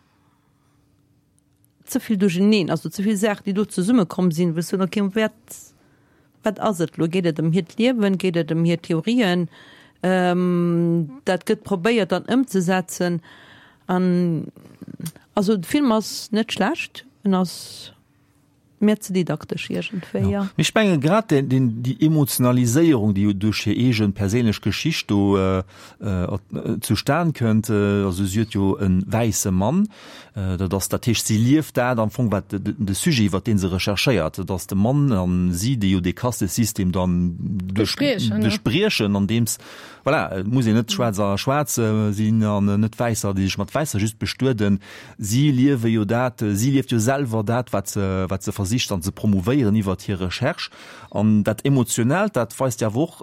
ze vill duercheneen, also ze vill Saachen, déi do zesummekomm sinn, wou ech soen, okay, wat, wat ass et elo? Geet et ëm hiert Liewen? Geet et ëm hir Theorien? Dat gëtt probéiert dann ëmzesetzen an also de Film ass net schlecht, en ass Mir ze didaktesch iergendwéi, jo. Mee ech menge grad déi Emotionaliséierung, déi jo duerch hir eege perséinlech Geschicht do zustan kënnt, also si huet jo e wäisse Mann, dat ass, dat heescht, si lieft dat am Fong, wat de Sujet, iwwer dee se recherchéiert, dat ass de Mann a si, déi jo dee Kastesystem dann duerchbriechen, andeems, voilà, et muss een net schwaarz a schwaarz sinn an net Wäisser, déi sech mat Wäisser just bestueden. Si liewe jo dat, si lieft jo selwer dat, wat se, wat se versicht dann ze promouvéieren iwwert hir Recherche. An dat Emotionellt, dat weist jo awer och,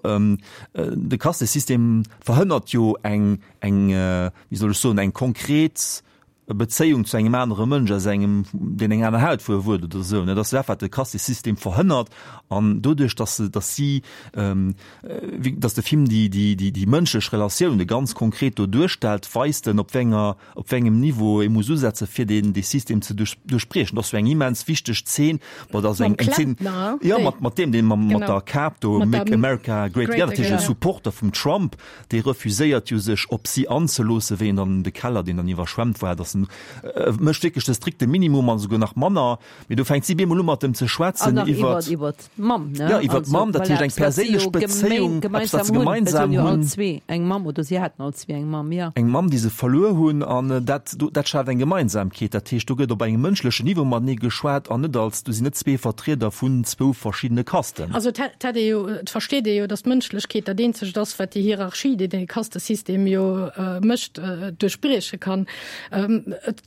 de Kastesystem verhënnert jo eng, eng, wéi soll ech soen, eng konkret Bezéiung zu engem anere Mënsch aus engem, deen eng aner Hautfuerf huet oder esou. Dat ass dat, wat de Kastesystem verhënnert. An doduerch, dass se, dass si, dass de Film déi, déi, déi, déi mënschlech Relatioune ganz konkret do duerstellt, weist en, op wéi enger, op wéi engem Niveau ee muss usetzen, fir deen, dee System ze duerch, duerchbriechen. Dat ass jo eng immens wichteg Zeen. Bon, dat ass eng, eng Zeen, jo, mat, mat deem, dee mam, mat der Kap do, Make America Great Again, dat heescht e Supporter vum Trump, dee refuséiert jo sech op si anzeloossen, wéi en dann de Keller, deen dann iwwerschwemmt war, dass en, e mécht wierklech de strikte Minimum an esouguer nach manner. Mee do fänkt si bemol u mat em ze schwätzen iwwer. Iwwer d'Mamm, ne? Ja, iwwer d'Mamm, dat heescht eng perséinlech Bezéiung, eppes wat se gemeinsam hunn. All zwee eng Mamm, oder si haten all zwee eng Mamm, ja. Eng Mamm, déi se verluer hunn, an dat, dat schaaft eng Gemeinsamkeet. Dat heescht, do gëtt op engem mënschlechen Niveau matenee geschwat an net als, do sinn net zwee Vertrieder vun zwou verschiddene Kasten. Also et hätt ee jo, et versteet ee jo, datt d'Mënschlechkeet dat eenzegt ass, wat déi Hierarchie, déi dee Kastesystem jo mécht, duerchbrieche kann. Et.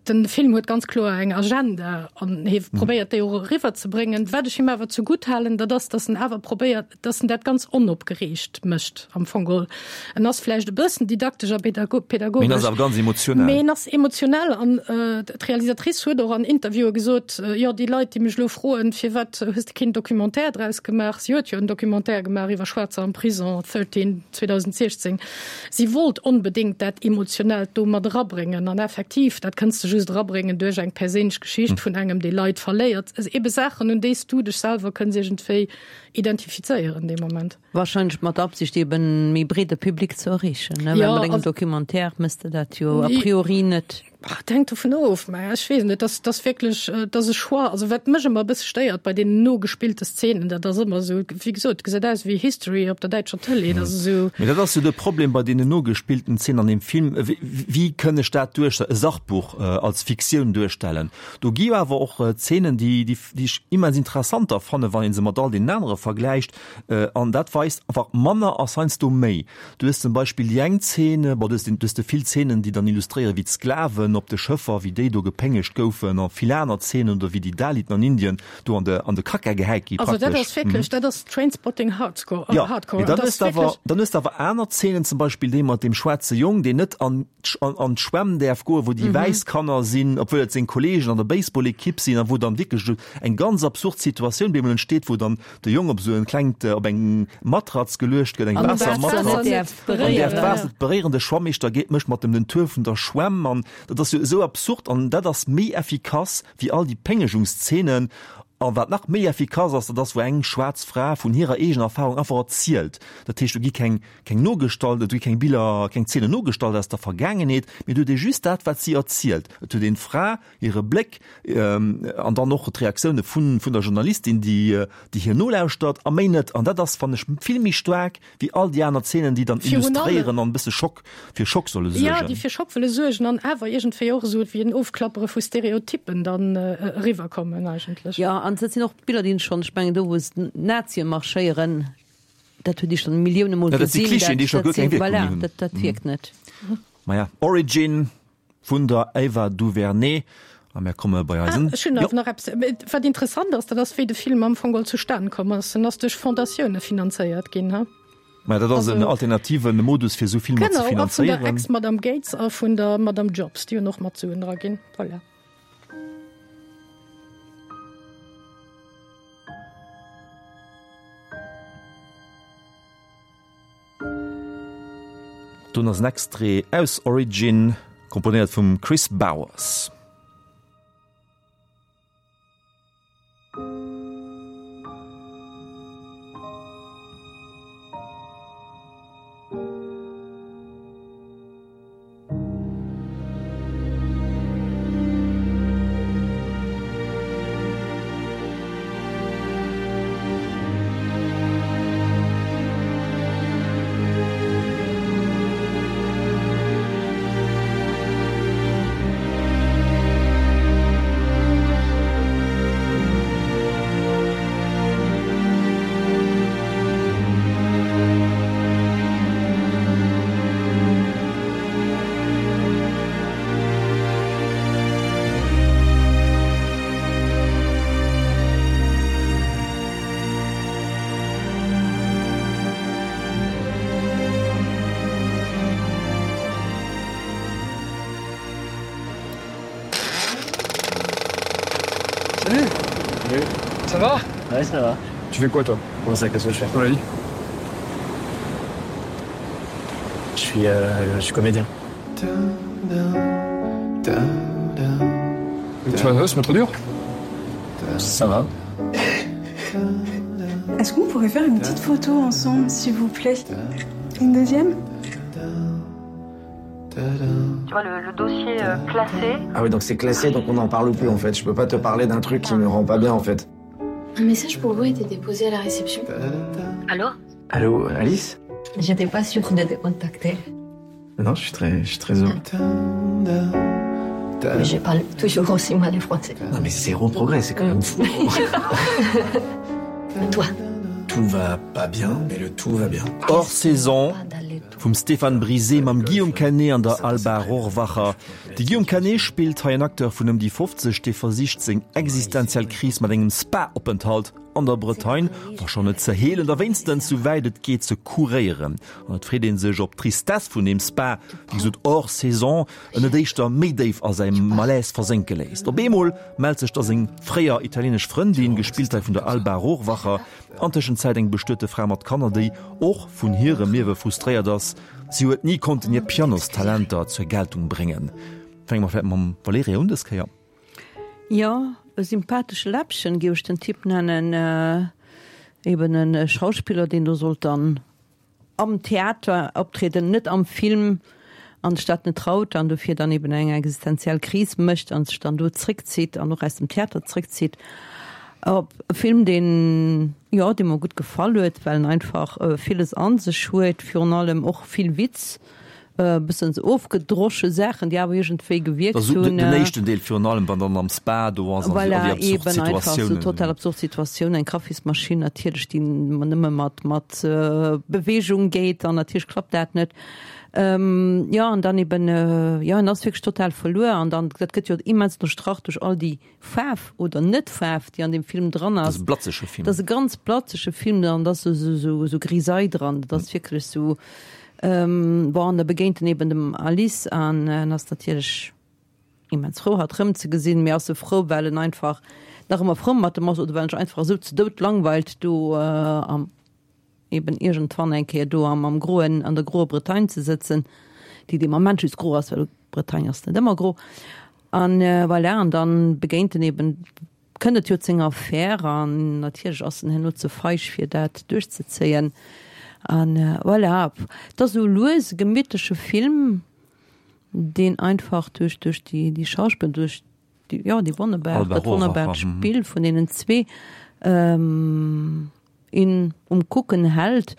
Den Film huet ganz kloer eng Agenda an hie probéiert déi och eriwwer ze bréngen. Wat ech him awer zegutt halen, dat ass, datt en awer probéiert, datt en dat ganz onopgereegt mécht am Fong geholl. En ass vläicht e bëssen didaktesch a pädagogesch. Mee en ass awer ganz emotionell. Mee en ass emotionell an d'Realisatrice huet och an Interviewe gesot, jo déi Leit, déi mech elo froen, firwat hues de keen Documentaire draus gemaach, si huet jo en Documentaire gemaach iwwer Schwaarzer am Prison, 13, 2016. Si wollt onbedéngt dat Emotionellt do mat erabréngen. An effektiv, dat kënns de just erabréngen duerch eng perséinlech Geschicht vun engem, dee Leit verléiert. Ebe Saachen, un déi s du dech selwer kënns iergendwéi identifizéieren dee Moment. Wahrscheinlech mat der Absicht eben e méi breede Public ze erreechen, ne? Well mat engem Documentaire méchs de dat jo a priori net. Et hänkt dovun of, mä ech weess net, dat ass wierklech, dat ass e Choix. Also wat mech ëmmer e bësse stéiert bei deenen nogespillte Szenen, dat ass ëmmer esou, wéi gesot, et gesäit aus wéi History op der däitscher Tëlee, dat ass esou. Mee dat ass jo de Problem bei deenen nogespillten Szenen an deem Film, wéi kënn ech dat duerch e Sachbuch als Fiktioun duerstellen? Do gi jo awer och Szenen, déi, déi ech immens interessant da fannen, wann ee se mat all deenen anere vergläicht, an dat weist einfach, manner ass heiansdo méi. Du hues zum Beispill déi eng Zeen, bon, du hues, du hues de vill Zeenen, déi dann illustréieren, wéi d'Sklaven op de Schëffer, wéi déi do gepéngegt goufen a vill aner Zeenen oder wéi déi Daliten an Indien do an de, an de Kacka gehäit gi Also dat ass wierklech, dat ass Trainspotting Hardcore, Jo, mee dann hues de awer, dann hues de awer aner Zeenen, zum Beispill déi mat deem schwaarze Jong, deen net an, an, an d'Schwämm däerf goen, wou déi wäiss Kanner sinn, obwuel et seng Kolleegen an der Baseball-Ekipp sinn a wou dann wierklech esou eng ganz absurd Situatioun bemol entsteet, wou dann de Jong op esou en klengt, op eng Matratz geluecht gëtt, eng Waassermatratz, an däerf d'Waasser net beréieren. De Schwammeeschter geet, mécht mat em den Tour vun der Schwämm an dat ass jo esou absurd an dat ass méi effikass wéi all déi Péngegungsszenen. A wat nach méi effikass ass, dat ass wou eng schwaarz Fra vun hirer eegener Erfahrung einfach erzielt. Dat heescht, do gi keng, keng nogestallt, do gi keng Biller, keng Zeenen nogestallt aus der Vergaangenheet, mee do huet ee just dat, wat si erzielt. Et huet een d'Fra, hire Bléck an dann och d'Reaktioune vun vun der Journalistin, déi déi hir nolauschtert a méi net. An dat ass, fannen ech, vill méi staark wéi all déi aner Zeenen, déi dann illustréieren an e bësse Schock, fir Schock solle suergen. Jo, déi fir Schock wëlle suergen an awer iergendwéi och esou wéi en Ofklappere vu Stereotyppen dann eriwwerkommen eigentlech. Jo, an dat sinn och Biller, déi een schonn, ech mengen do wou d'Nazien marschéieren, dat huet ee schonn Millioune Mol gesinn. Dat si Klischeeën, déi scho guer keng Wierkung méi hunn. Voilà, dat wierkt net. Maja, Origin. Vun der Ava DuVernay. A mär komme bei eisen. Ah, ech hunn awer nach eppes, wat interessant ass, dat ass, wéi de Film am Fong geholl zustan komm ass. En ass duerch Fondatioune finanzéiert ginn, ha? Mä dat ass en alternative Modus, fir esou Filmer ze finanzéieren. Genau, a vun der Ex-Madame Gates a vun der Madame Jobs, déi hunn och mat Suen dra ginn. Voilà. Don ass en Extrait aus Origin, komponéiert vum Kris Bowers. Salut Salut Ça va Ouais, ça va. Tu fais quoi toi Comment ça, qu'est-ce que je fais Dans la vie Je suis, euh, je suis comédien. Tu vas, c'est pas trop dur Ça va. Est-ce qu'on pourrait faire une petite photo ensemble, s'il vous plaît Une deuxième Tu vois le, le dossier euh, classé. Ah oui, donc c'est classé, donc on n'en parle plus en fait. Je peux pas te parler d'un truc qui me rend pas bien en fait. Un message pour vous a été déposé à la réception. Allô Allô, Alice J'étais pas sûre de te contacter. Non, je suis très, je suis très heureux. Mais je parle toujours aussi mal le français. Non mais zéro progrès, c'est quand même fou. Toi. Tout va pas bien, mais le tout va bien. Hors saison. Vum Stéphane Brizé mam Guillaume Canet an der Alba Rohrwacher. De Guillaume Canet spillt hei en Acteur vun ëm déi 50, dee versicht seng existenziell Kris mat engem Spa-Openthalt an der Bretagne, wa schonn net ze heelen, da wéinstens sou wäit et geet ze kuréieren. An et freet ee sech, ob d'Tristesse vun deem Spa, wéi gesot hors saison, en net éischter méi déif a säi Malaise versénke léisst. Op eemol mellt sech da seng fréier italienesch Frëndin, gespillt hei vun der Alba Rohrwacher, an Tëschenzäit eng bestuete Fra mat Kanner, déi och vun hirem Liewe frustréiert ass. Si huet ni konnten hir Pianostalenter zur Geltung bréngen. Fänke mer vläicht mam Valerija un dës Kéier. Jo, e sympathesche Läppchen, géif ech den Typ nennen. Eben e Schauspiller, deen do sollt dann am Theater optrieden, net am Film, an sech dat net traut an dofir dann eben eng existenziell Kris mécht an sech dann do zréckzitt an och aus dem Theater zréckzitt. Op e Film, deen, jo, dee mer gutt gefall huet, well en einfach villes a sech huet, virun allem och vill Witz, e bëssen sou ofgedrosche Saachen, déi awer iergendwéi gewierkt Also hunn. den éischten Deel virun allem, wann dann am Spa do ass an Voilà, all déi absurd eben einfach sou Situatiounen. total absurd Situatioun, eng Kaffismaschinn natierlech, déi nëmme mat, mat Beweegung geet an natierlech klappt dat net. Jo, an dann eben, jo, en ass wierklech total verluer an dann, dat gëtt jo immens ënnerstrach duerch all déi Faarf oder Net-Faarf, déi an deem Film dran Dat ass. ass e blatzege Film. Dat ass e ganz blatzege Film an da ass esou, esou, esou Grisaille dran. Dat ass wierklech esou, bon, an da begéint en eben dem Alice an en ass natierlech immens frou, hatt erëmzegesinn, mee ass e frou, well en einfach nach ëmmer frou mat em ass oder well en sech einfach esou ze dout langweilt do am. eben iergendwann eng Kéier do am am groen, an der groer Bretagne ze sëtzen, déi dee Moment just gro ass, well Bretagne ass net ëmmer gro. An voilà, an dann begéint en eben, kënnt et jo zu enger Affär an natierlech ass en herno ze feig fir dat duerchzezéien. An voilà, et ass esou lues e gemittleche Film, deen einfach duerch duerch déi déi Schauspiller, duerch déi, jo, déi wonnerbar, Alba dat wonnerbart Rohrwacher, mhm. Spill vun deenen zwee, een um Kucken hält.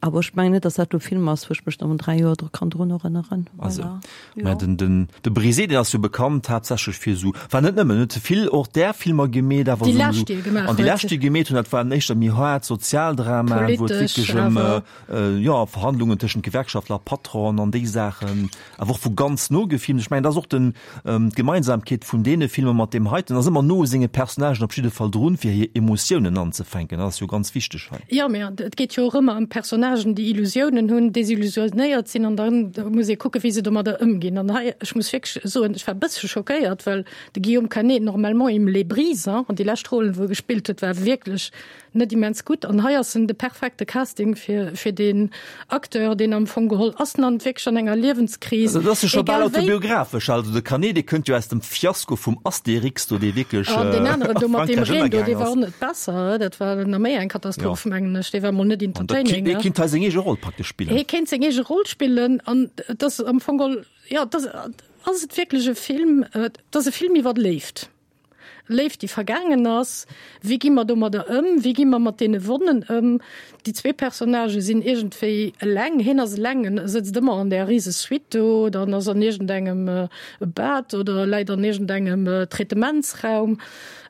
Awer ech mengen net, datt dat lo e Film ass, wou ech mech nach an 3 Joer dru kann drun erënneren. Also, Voilà. mä Jo. den, den, de Brizé, deen ass jo bekannt haaptsächlech fir esou, war net nëmmen, huet vill och där Filmer gemeet, awer Déi esou, lescht, déi e gemaach an déi huet. lescht, déi e gemeet hunn, dat waren éischter méi haart Sozialdramaen, wou et Politesch wierklech ëm, awer. jo, Verhandlungen tëschent Gewerkschaftler a Patronen an déi Saachen, awer och vu ganz no gefilmt. Ech mengen, dat ass och den, D'Gemeinsamkeet vun deene Filmer mat deem heiten ass ëmmer no u senge Personnagen op jidde Fall drun, fir hir Emotiounen anzefänken. Dat ass jo ganz wichteg hei. Jo, mä et geet jo och ëmmer ëm Personnagen, déi Illusiounen hunn, desillusionéiert sinn an dann muss ee kucken, wéi se domadder ëmginn. An hei, ech muss wierklech soen, ech war e bëssche schockéiert, well de Guillaume Canet normalement il me les brise, an déi lescht Rollen, wou e gespillt huet, war wierklech Net immens gutt. An hei ass en de perfekte Casting fir fir deen Acteur, deen am Fong geholl ass en an wierklech an enger Liewenskris. Dat ass jo scho bal Egal wéi. autobiographesch. Also de Canet, dee kënnt jo aus dem Fiasko vum Astérix do, dee wierklech An deen aneren a do mat deem Frankräich Reen do, ënnergaang dee war ass. och net besser. Dat war nach méi eng Jo. Katastroph, mengen ech. Dee war mol net An dat entertaining, dee ne? kinnt hei seng eege Roll praktesch spillen. Hie kéint seng eege Roll spillen an et ass am Fong geholl, jo, et ass, ass et wierklech e Film, et ass e Film iwwer Léift. Léift, déi vergaangen ass. Wéi gi mer domadder ëm? Wéi gi mer mat deene Wonnen ëm? Déi zwee Personnagë sinn iergendwéi eleng. Hien ass eleng, en sëtzt ëmmer an där rise Suite do, oder en ass an iergendengem Bad oder läit an iergendengem Traitementsraum.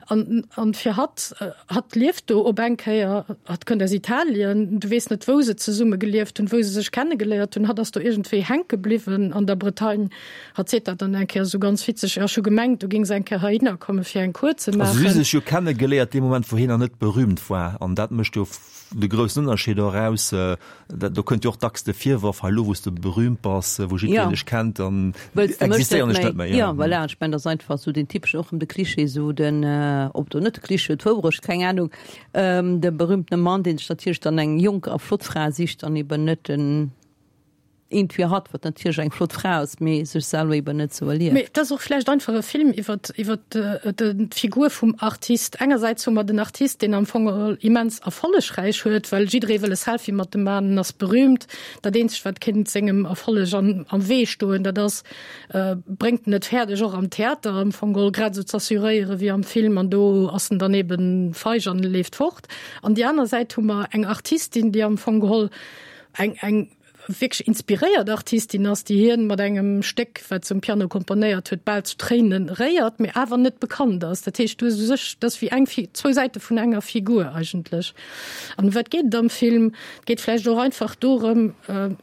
An, an fir hatt, hatt lieft do op eng Kéier, hatt kënnt aus Italien, du weess net, wou se zesumme gelieft hunn, wou se sech kennegeléiert hunn. Hatt ass do iergendwéi hänke bliwwen an der Bretagne. Hatt seet dat dann eng Kéier esou ganz witzeg, Jo, ech hu gemengt, du géings eng Kéier heihinner komme fir eng Cours ze Also si hu maachen. sech jo kenne geléiert dee Moment, wou hien nach net berühmt war. An dat mécht jo de groussen Ënnerscheed och eraus. Dat, do kënnt jo och dacks de Virworf, hei elo wou s de berühmt bass, wou jiddwereen Ja. dech kennt, dann Wëlls de mech net existéieren ech méi? net méi. Ja, voilà, ech mengen, dat ass einfach esou deen typeschen, och erëm de Klischee, esou den, ob do net de Klischee, d'Wourecht, keng Ahnung, de berühmtene Mann, deen sech natierlech dann eng jonk a flott Fra sicht an eben net den, Eent fir hatt, wat natierlech eng flott Fra ass, mee sech selwer eben net sou erlieft. Mee et ass och vläicht einfach e Film iwwer iwwer d'Figur vum Artist. Engersäits hu mer den Artist, deen am Fong geholl immens erfollegräich huet, well jidderee wëll e Selfie mat dem man, en ass berühmt. Dat eenzegt, wat kéint sengem Erfolleg an am Wee stoen, dat ass, bréngt en et fäerdeg och am Theater am Fong geholl grad esou z'assuréiere wéi am Film, an do ass en dann eben feig an leeft fort. An déi aner Säit hu mer eng Artistin, déi am Fong geholl eng eng. wierklech inspiréiert Artistin ass, déi hien mat engem Stéck, wat se um Piano komponéiert huet, bal zu Tréinen réiert, mee awer net bekannt ass. Dat heescht, du hues u sech, dat ass wéi eng, zwou Säite vun enger Figur eigentlech. An ëm wat geet et am Film? Et geet vläicht och einfach dorëm,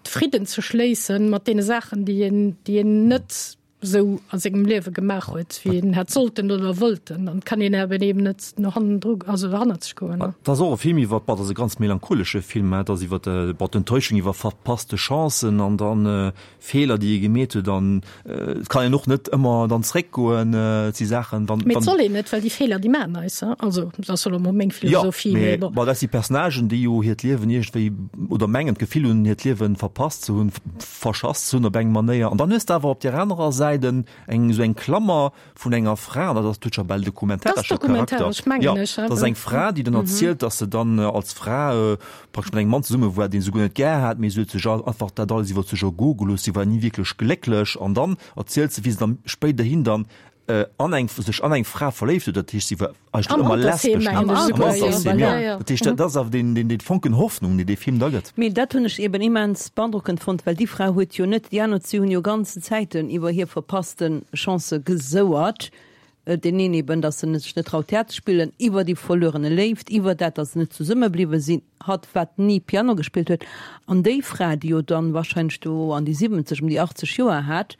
Fridden ze schléissen mat deene Saachen, déi een, déi een net esou a sengem Liewe gemaach huet, wéi een hätt sollten oder wollten. An et kann een awer eben net no hannendru, also hannerzeg goen. Et ass och e Film iwwer, bon, et ass e ganz melancholesche Film, et ass iwwer, bon, d'Enttäuschung iwwer verpasste Chancen an dann Feeler, déi ee gemeet huet. An et kann een och net ëmmer dann zréckgoen. Et si Saachen, wann. Mee et soll een net, well déi Feeler, déi maachen eis, also dat ass elo mol meng Philosophie. Jo, mee bon, dat si Personnagen, déi jo hiert Liewen iergendwéi oder mengen d'Gefill hunn, hiert Liewen verpasst ze hunn, verschass ze hunn op eng Manéier. An dann hues de awer op där anerer Säit en eng esou eng Klammer vun enger Fra, an dat ass, huet scho bal dokumentaresche Charakter. Jo, dat ass eng Fra, déi dann erzielt, datt se dann als Fra praktesch mat engem Mann zesumme war, dee se guer net gär hat, mee se huet sech einfach dat alles iwwer sech ergoe gelooss, si war ni wierklech glécklech. An dann erzielt se, wéi se dann spéiderhin dann an eng, sech an eng Fra verléift huet, dat heescht, si war eigentlech ëmmer lesbesch, Am Altersheem, jo. Dat heescht, dat ass awer deen, deen, dee Fonken Hoffnung, deen dee Film da gëtt. Mee dat hunn ech eben immens beandrockend fonnt, well déi Fra huet jo net, déi aner zwee hunn jo ganzen Zäiten iwwer hir verpasste Chancë gesouert, deen een eben, datt en sech net traut Theater ze spillen, iwwer déi verluerene Léift, iwwer dat, datt se net zesumme bliwwe sinn, hatt wat ni Piano gespillt huet. An déi Fra, déi jo dann wahrscheinlech do an déi 70, ëm déi 80 Joer hat,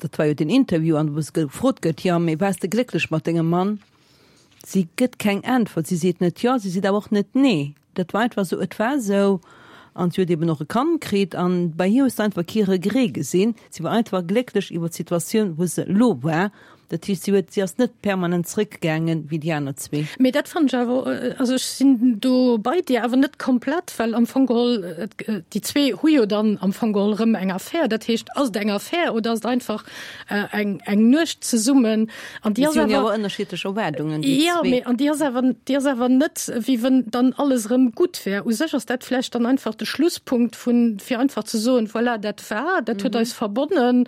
Dat war jo deen Interview, an wou se gefrot gëtt, Jo, mee waars de glécklech mat dengem Mann? Si gëtt keng Äntwert. Si seet net jo, si seet awer och net nee. Dat war einfach esou, et war esou. An si huet eben och e Kand kritt. An bei hir hues de einfach kee Regret gesinn. Si war einfach glécklech iwwer d'Situatioun, wou se elo war. Dat heescht, si huet, si ass net permanent zréckgaangen, wéi déi aner zwee. Mee dat fannen ech awer, also ech sinn do bei dir, awer net komplett, well am Fong geholl, déi zwee hu jo dann am Fong geholl erëm eng Affär. Dat heescht, ass et eng Affär oder ass et einfach eng, eng Nuecht zesummen? An déi ass awer. Si hunn jo awer ënnerschiddlech Erwaardungen, déi zwee. Jo, mee an déi ass awer, déi ass awer net, wéi wënn dann alles erëm gutt wär. U sech ass dat vläicht dann einfach de Schlusspunkt vun, fir einfach ze soen, voilà, dat war, dat huet eis verbonnen.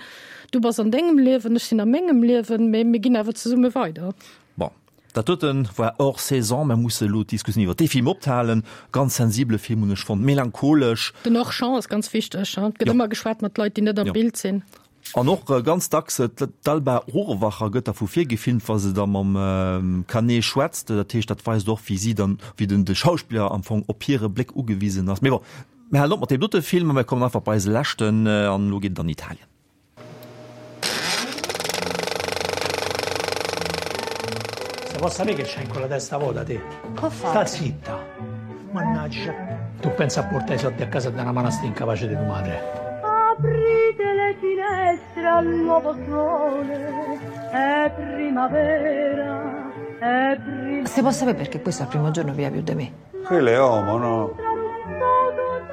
Du bass an dengem Liewen, ech sinn a mengem Liewen, mee mir ginn awer zesumme weider. Bon, dat doten war hors saison. Mer musse elo d'Diskussioun iwwer dee Film ophalen. Ganz sensibele Film, hunn ech fonnt, melancholesch. Den Hors-champ ass ganz wichteg. Et gëtt ëmmer geschwat mat Leit, déi net am Bild sinn. An och ganz dacks, d'Alba Rohrwacher gëtt da vu vir gefilmt, wa se da mam Canet schwätzt. Dat heescht, dat weist och, wéi si dann, wéi den de Schauspiller am Fong op hire Bléck ugewisen ass. Mee bon, Mir halen op mat deem dote Film a mir kommen einfach bei eise leschten an elo geet et an Italien. Se po' sapè che c'hai ancora la testa vota te? Sta zitta! Mannaggia! Tu pensa a portà i soldi a casa e dà 'na mano a st'incapace di tu madre. Aprite le finestre al nuovo sole, è primavera, è primavera. Se po' sapè perché questo al primo giorno pia più de me? Quello è omo, no?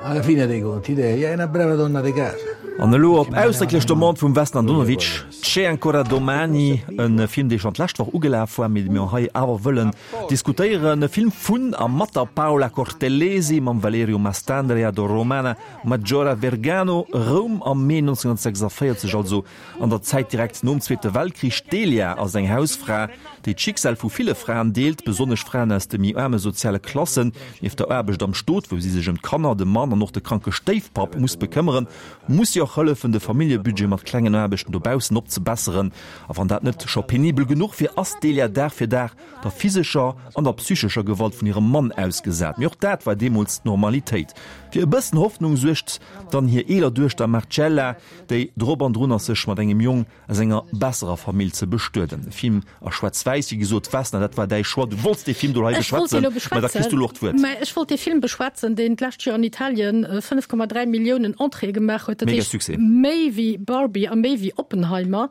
Alla fine dei conti, Delia è una brava donna de casa. An elo op ausdrécklech Demande vum Vesna Andonovic, C'è ancora domani, e Film, dee schonn d'lescht Woch ugelaf war, mee dee mir hei awer wëllen diskutéieren. E Film vun a mat der Paola Cortellesi, mam Valerio Mastandrea, der Romana Maggiora Vergano. Roum am Mee 1946, also An der Zäit direkt nom Zweete Weltkrich. D'Delia ass eng Hausfra, déi d'Schicksal vu ville Fraen deelt, besonnesch Fraen aus de méi aarme soziale Klassen. Nieft der Aarbecht am Stot, wou si sech ëm d'Kanner, de Mann an och de kranke Stéifpapp muss bekëmmeren, muss si och hëllefen, de Familljebudget mat klengen Aarbechten dobaussen opzebesseren. A wann dat net scho penibel genuch wier, ass d'Delia Dag fir Dag der physescher an der psychescher Gewalt vun hirem Mann ausgesat. Mee och dat war deemools d'Normalitéit. Fir e bëssen Hoffnung suergt dann hir eeler Duechter Marcella, déi drop an drun ass sech mat engem Jong aus enger besserer Famill ze bestueden. E Film a Schwaarz-Wäiss, wéi gesot. Vesna, dat war däi Choix, du wollts dee Film do hei Ech wollt dee beschwätzen, lo mä da kriss du beschwätzen. elo och d'Wuert. Mä ech wollt dee Film beschwätzen, deen d'lescht Joer an Italien 5,3 Milliounen Entréeë gemaach huet, dat Mega heescht Succès. méi wéi Barbie a méi wéi Oppenheimer.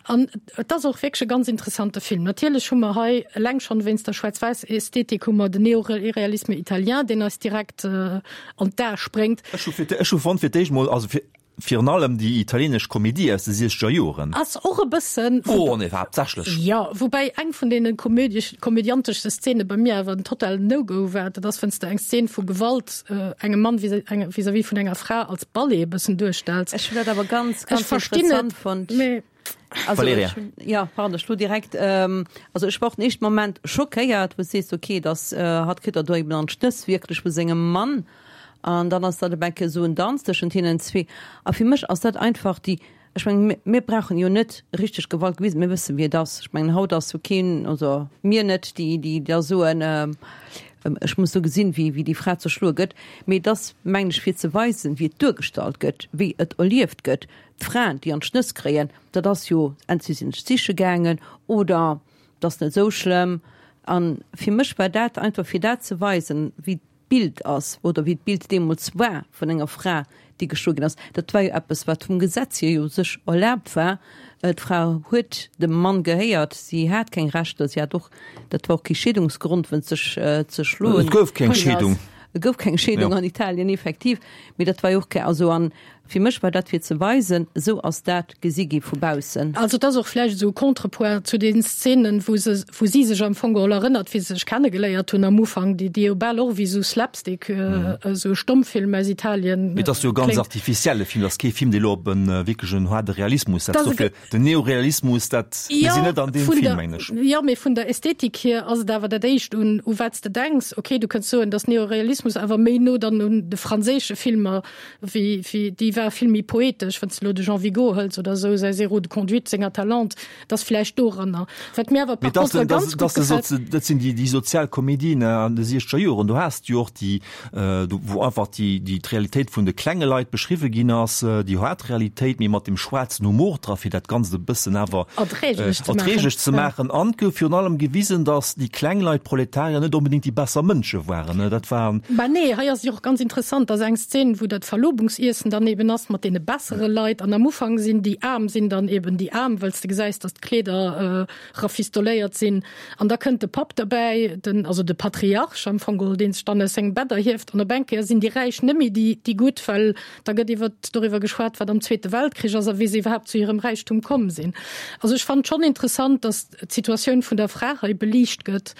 An et ass och wierklech e ganz interessante Film. Natierlech hu mer hei, eleng schonn wéinst der Schwaarz-Wäiss-Ästhetik, hu mer den Néoréalisme italien, deen eis direkt an d'Ae spréngt. Ech hu fir, ech hu fonnt fir d'éischt mol, also fir, Virun allem déi italienesch Komedie aus de siechzeger Joren. Ass och e bëssen. Oh nee, war haaptsächlech. Jo, woubäi eng vun deene komödiesch, komödianteschste Szene bei mir awer en totalen No-Go war. Dat ass, wann s de eng Szene vu Gewalt engem Mann vis, eng, vis-à-vis vun enger Fra als Ballet e bëssen duerstells. Ech hunn dat awer ganz, Ech ganz verstinn interessant et, fonnt. mee. Also, Valerija. ech hunn, ja, pardon, ech lo direkt, also ech war och den éischten Moment schockéiert, wou s sees, okay, dass hatt kritt der do eben an d'Schnëss wierklech vu sengem Mann. An dann ass dat op eng Kéier esou en Danz tëschent hinnen zwee. A fir mech ass dat einfach déi, ech mengen, mir brauchen jo net richteg Gewalt gewisen, mir wëssen, wéi et ass. Ech mengen, haut ass jo keen, also mir net, déi, déi da soen, ech muss do gesinn, wéi, wéi déi Fra zerschloe gëtt. Mee et ass, mengen ech, fir ze weisen, wéi et duergestallt gëtt, wéi et erlieft gëtt. D'Fraen, déi an d'Schnëss kréien, dat ass jo, entweder sinn ech siche gaangen oder et ass net esou schlëmm. A fir mech war dat einfach, fir dat ze weisen, wéi d'Bild ass oder wéi d'Bild deemools war vun enger Fra, déi geschloe ginn ass. Dat war jo eppes, wat vum Gesetz hier jo sech erlaabt war. D'Fra huet dem Mann gehéiert, si hat keng Rechter, si hat och, dat war och kee Scheedungsgrond, wënst sech ze schloen. Et gouf keng Scheedung. Et gouf keng Scheedung an Italien, effektiv. Mee dat war jo och keng, also an Fir mech war dat fir ze weisen, esou ass dat gesi gi vu baussen. Also et ass och vläicht esou e Contrepoint zu den Szenen, wou se, wou si sech am Fong geholl erënnert, wéi se sech kennegeléiert hunn am Ufank, déi, déi jo bal och wéi esou Slapstick, esou e Stommfilm aus Italien Mee et ass jo e ganz kléngt. artificielle Film, et ass kee Film, dee lo op e wierklechen haarde Realismus setzt. Dat ass e Dofir den Neorealismus, dat, mir sinn net an deem vun Film, der, mengen ech. Jo, mee vun der Ästhetik hier ass et awer dat éischt, un u wat s de denks. Okay, du kënns soen, dass Neorealismus awer méi no dann un de franséische Filmer wéi, wéi, déi war vill méi poetesch, wann s de elo de Jean Vigo hëls oder esou, säi Zéro de conduite, seng Atalante, dat ass vläicht doranner. Wat mir awer Mee par dat contre ass, ganz dat gutt ass, gefält. dat sinn déi, déi sozial Komedien an de siechzeger Joren. Do has de jo och déi, do wou einfach déi, déi d'Realitéit vun de klenge Leit beschriwwe ginn ass, déi haart Realitéit, mee mat dem schwaarzen Humor dra, fir dat Ganzt e bëssen awer Erträglech ze maachen. erträglech ze Ja. maachen. An et gouf virun allem gewisen, datt déi kleng Leit, d'Proletarier, net onbedéngt déi besser Mënsche waren. Dat waren. Bah nee, hei ass et jo och ganz interessant, dass eng Szene, wou dat Verlobungsiessen dann eben ass mat deene bessere Leit an am Ufank sinn déi Aarm sinn dann eben déi Aarm, wëlls de gesäis, dass d'Kleeder rafistoléiert sinn an da kënnt de Papp derbäi, den, also de Patriarch am Fong geholl, dee sech dann aus sengem Bett erhieft an op eng Kéier sinn déi Räich net méi déi, déi Gutt, well da gëtt iwwer, doriwwer geschwat, wat am Zweete Weltkrich ass a wéi se iwwerhaapt zu hirem Räichtum komm sinn. Also ech fannen schonn interessant, dass d'Situatioun vun der Fra hei beliicht gëtt.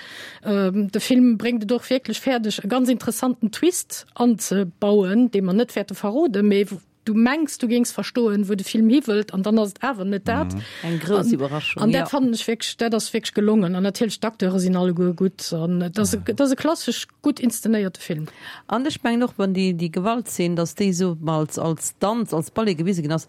De Film bréngt et och wierklech fäerdeg, e ganz interessanten Twist anzebauen, dee mer net wäerte verroden, mee du mengs, du géings verstoen, wou de Film hiwëllt, an dann ass et awer net dat. Eng grouss Iwwerraschung, An dat fannen ech wierklech, dat ass wierklech gelongen. An natierlech d'Acteure sinn alleguer gutt an et ass e, et ass e klassesch gutt inszenéierte Film. An ech mengen och, wann déi, déi Gewaltzeen, datt déi esou als, als Danz, als Ballet gewise ginn ass,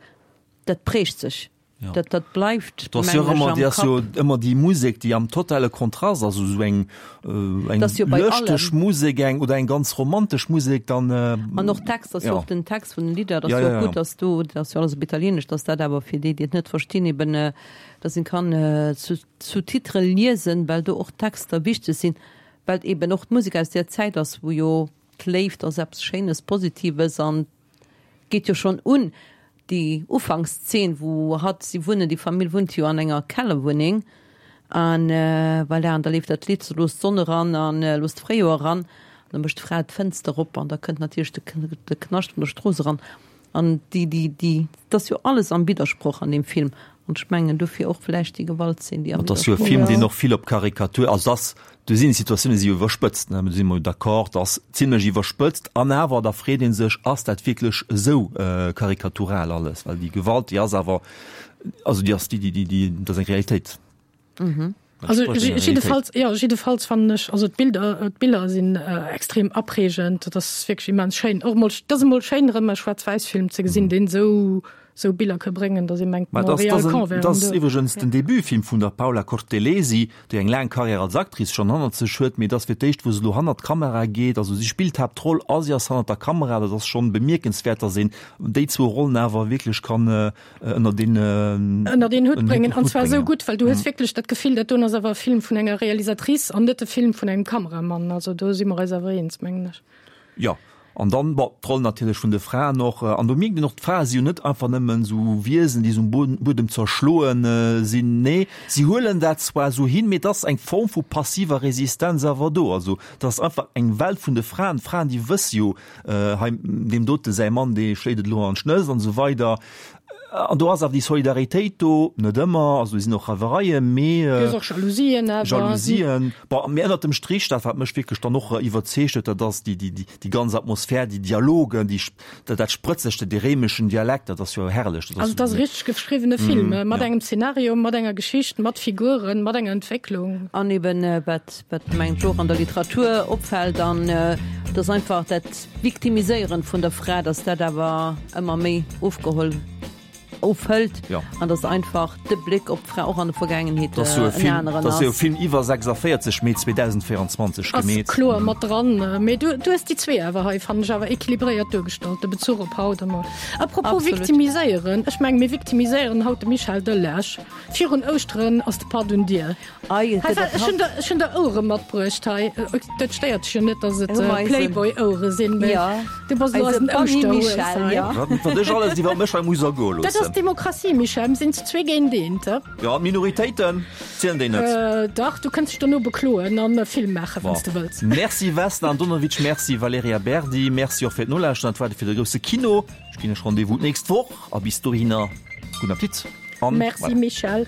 dat prägt sech. Ja. Dat, dat bleift, Das jo mengen ech, ëmmer, am déi ass jo Kapp. ëmmer déi Musek, déi am totale Kontrast ass, esou eng, äh, eng Das jo bei lëschteg allem. Musek, eng oder eng ganz romantesch Musek, dann, äh, An och Text, ass jo ja. och den Text vun den Lidder, dat Ja, ass jo ja, och ja. gutt, dass do, dat ass jo alles op Italieenesch, dass dat awer fir déi, déi et net verstinn, eben, äh, dass een kann, äh, Sous-Titrë liesen, well do och d'Texter wichteg sinn, well eben och d'Musek aus där Zäit ass, wou jo d'Léift ass eppes Schéines, Positives an Geet jo schon un déi Ufankszeen wou hatt, si wunnen, déi Famill wunnt jo an enger Kellerwunneng an voilà, an da leeft dat Lidd Looss d'Sonn eran an looss d'Fréijoer eran an da mécht d'Fra d'Fënster op an da kënnt natierlech de Knascht vun der Strooss eran an déi, déi, déi, et ass jo alles am Widdersproch an deem Film an ech mengen dofir och vläicht déi Gewaltzeen déi am Et ass jo e Widdersproch Film ass. deen och vill op Karikatur, also ass Do sinn d'Situatioune si jo iwwerspëtzt, ne, do si mer jo d'accord, dat ass zimlech iwwerspëtzt. An awer, da freet ee sech, ass dat wierklech esou karikatural alles? Well déi Gewalt, déi ass awer, also déi ass, déi, déi, déi, dat ass eng Realitéit. Also jiddefalls, jo, jiddefalls fannen ech, also d'Bilder, d'Biller sinn extrem apreegend, dat ass wierklech immens schéin. Och emol, dat ass emol schéin erëm e Schwaarz-Wäiss-Film ze gesinn, deen esou sou Biller ka bréngen, datt ee mengt, Mä Montréal dat Camp wär ass do. iwwregens den Debutfilm vun der Paola Cortellesi, déi eng laang Karriär als Actrice schonn hannert sech huet, mee et ass fir d'éischt, wou se elo hannert d'Kamera geet. Also si spillt d'Haaptroll a si ass hannert der Kamera. Dat ass schonn bemierkenswäert, datt een déi zwou Rollen awer wierklech kann ënnert een Ënnert een Hutt bréngen, an Hutt zwar esou bréngen. gutt, well du hues wierklech dat Gefill, dat doen ass awer e Film vun enger Realisatrice an net e Film vun engem Kameramann. Also do si mer eis awer eens, mengen ech. Jo, an dann, bon, d'Roll natierlech vun de Fraen och. An do mierkt een och, d'Frae si jo net einfach nëmmen esou Wiesen, déi esou um Buedem zerschloen sinn. Nee, si huelen dat zwar esou hin, mee et ass eng Form vu passiver Resistenz awer do. Also et ass einfach eng Welt vun de Fraen. D'Fraen, déi wësse jo, hei, deem dote säi Mann, dee schléit et elo an d'Schnëss an esou weider. An do ass awer déi Solidaritéit do, net ëmmer, also do sinn och Reiwereien, mee. Do ass och Jalousien awer. Jalousien, bon, mee ënnert dem Strich, dat wat mech wierklech dann och iwwerzeegt huet, dat ass déi, déi, déi ganz Atmosphär, déi Dialogen, déi, dat, dat Sprëtzegt, dee réimeschen Dialekt, dat ass jo herrlech. Dat ass. Also et ass e richteg geschriwwene Film, mat engem Szenario, mat enger Geschicht, mat Figuren, mat enger Entwécklung. An eben, wat, wat mengen ech och an der Literatur opfält, an et ass einfach dat, Victimiséieren vun der Fra, dass dat awer ëmmer méi ofgeholl, ofhëlt an dass einfach de Bléck op d'Fra och an der Vergaangenheet en aneren ass. Dat ass jo e Film iwwer 46, Mee 2024 gemeet. Ass kloer mat dran, mee du hues déi zwee awer hei, fannen ech, awer equilibréiert duergestallt, de Bezuch op haut emol. A propos victimiséieren, ech mengen, mir victimiséieren haut de Michel Delage. Virun Ouschteren ass de Patt un Dier. Ei, Hei, ech hunn der, ech hunn der Ouere matbruecht hei. Dat stéiert dech jo net, dass et Playboy-Ouere sinn, mee du bass elo eisen Ouschterhues hei. Wat ech alles iwwer mech hei muss ergoe loossen. Dat ass Demokratie, Michel. Mir sinn zu zwee géint eent. Jo, an d'Minoritéiten, zielen déi net? Dach, du kënns dech dono bekloen an e Film maachen, wann s de wëlls. Merci Vesna Andonovic, merci Valerija Berdi, merci och fir d'Nolauschteren. Dat war et fir de grousse Kino. Ech ginn iech Rendez-vous d'nächst Woch a bis dohinner gudden Appetit an Merci voilà. Michel.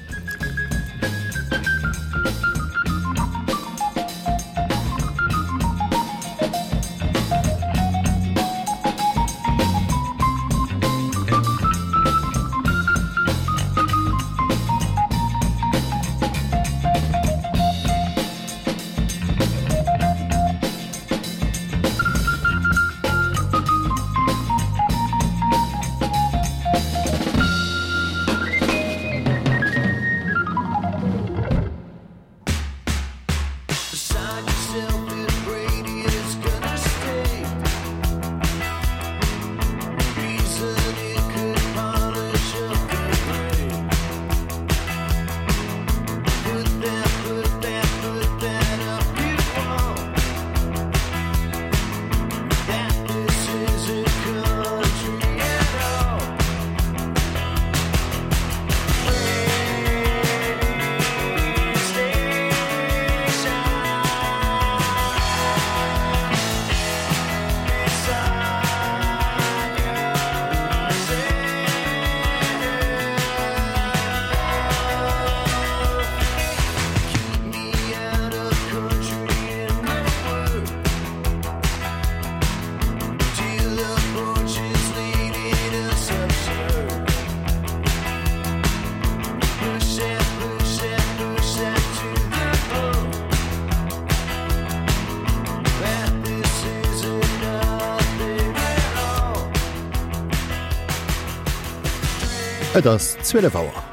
Et ass 12 Auer.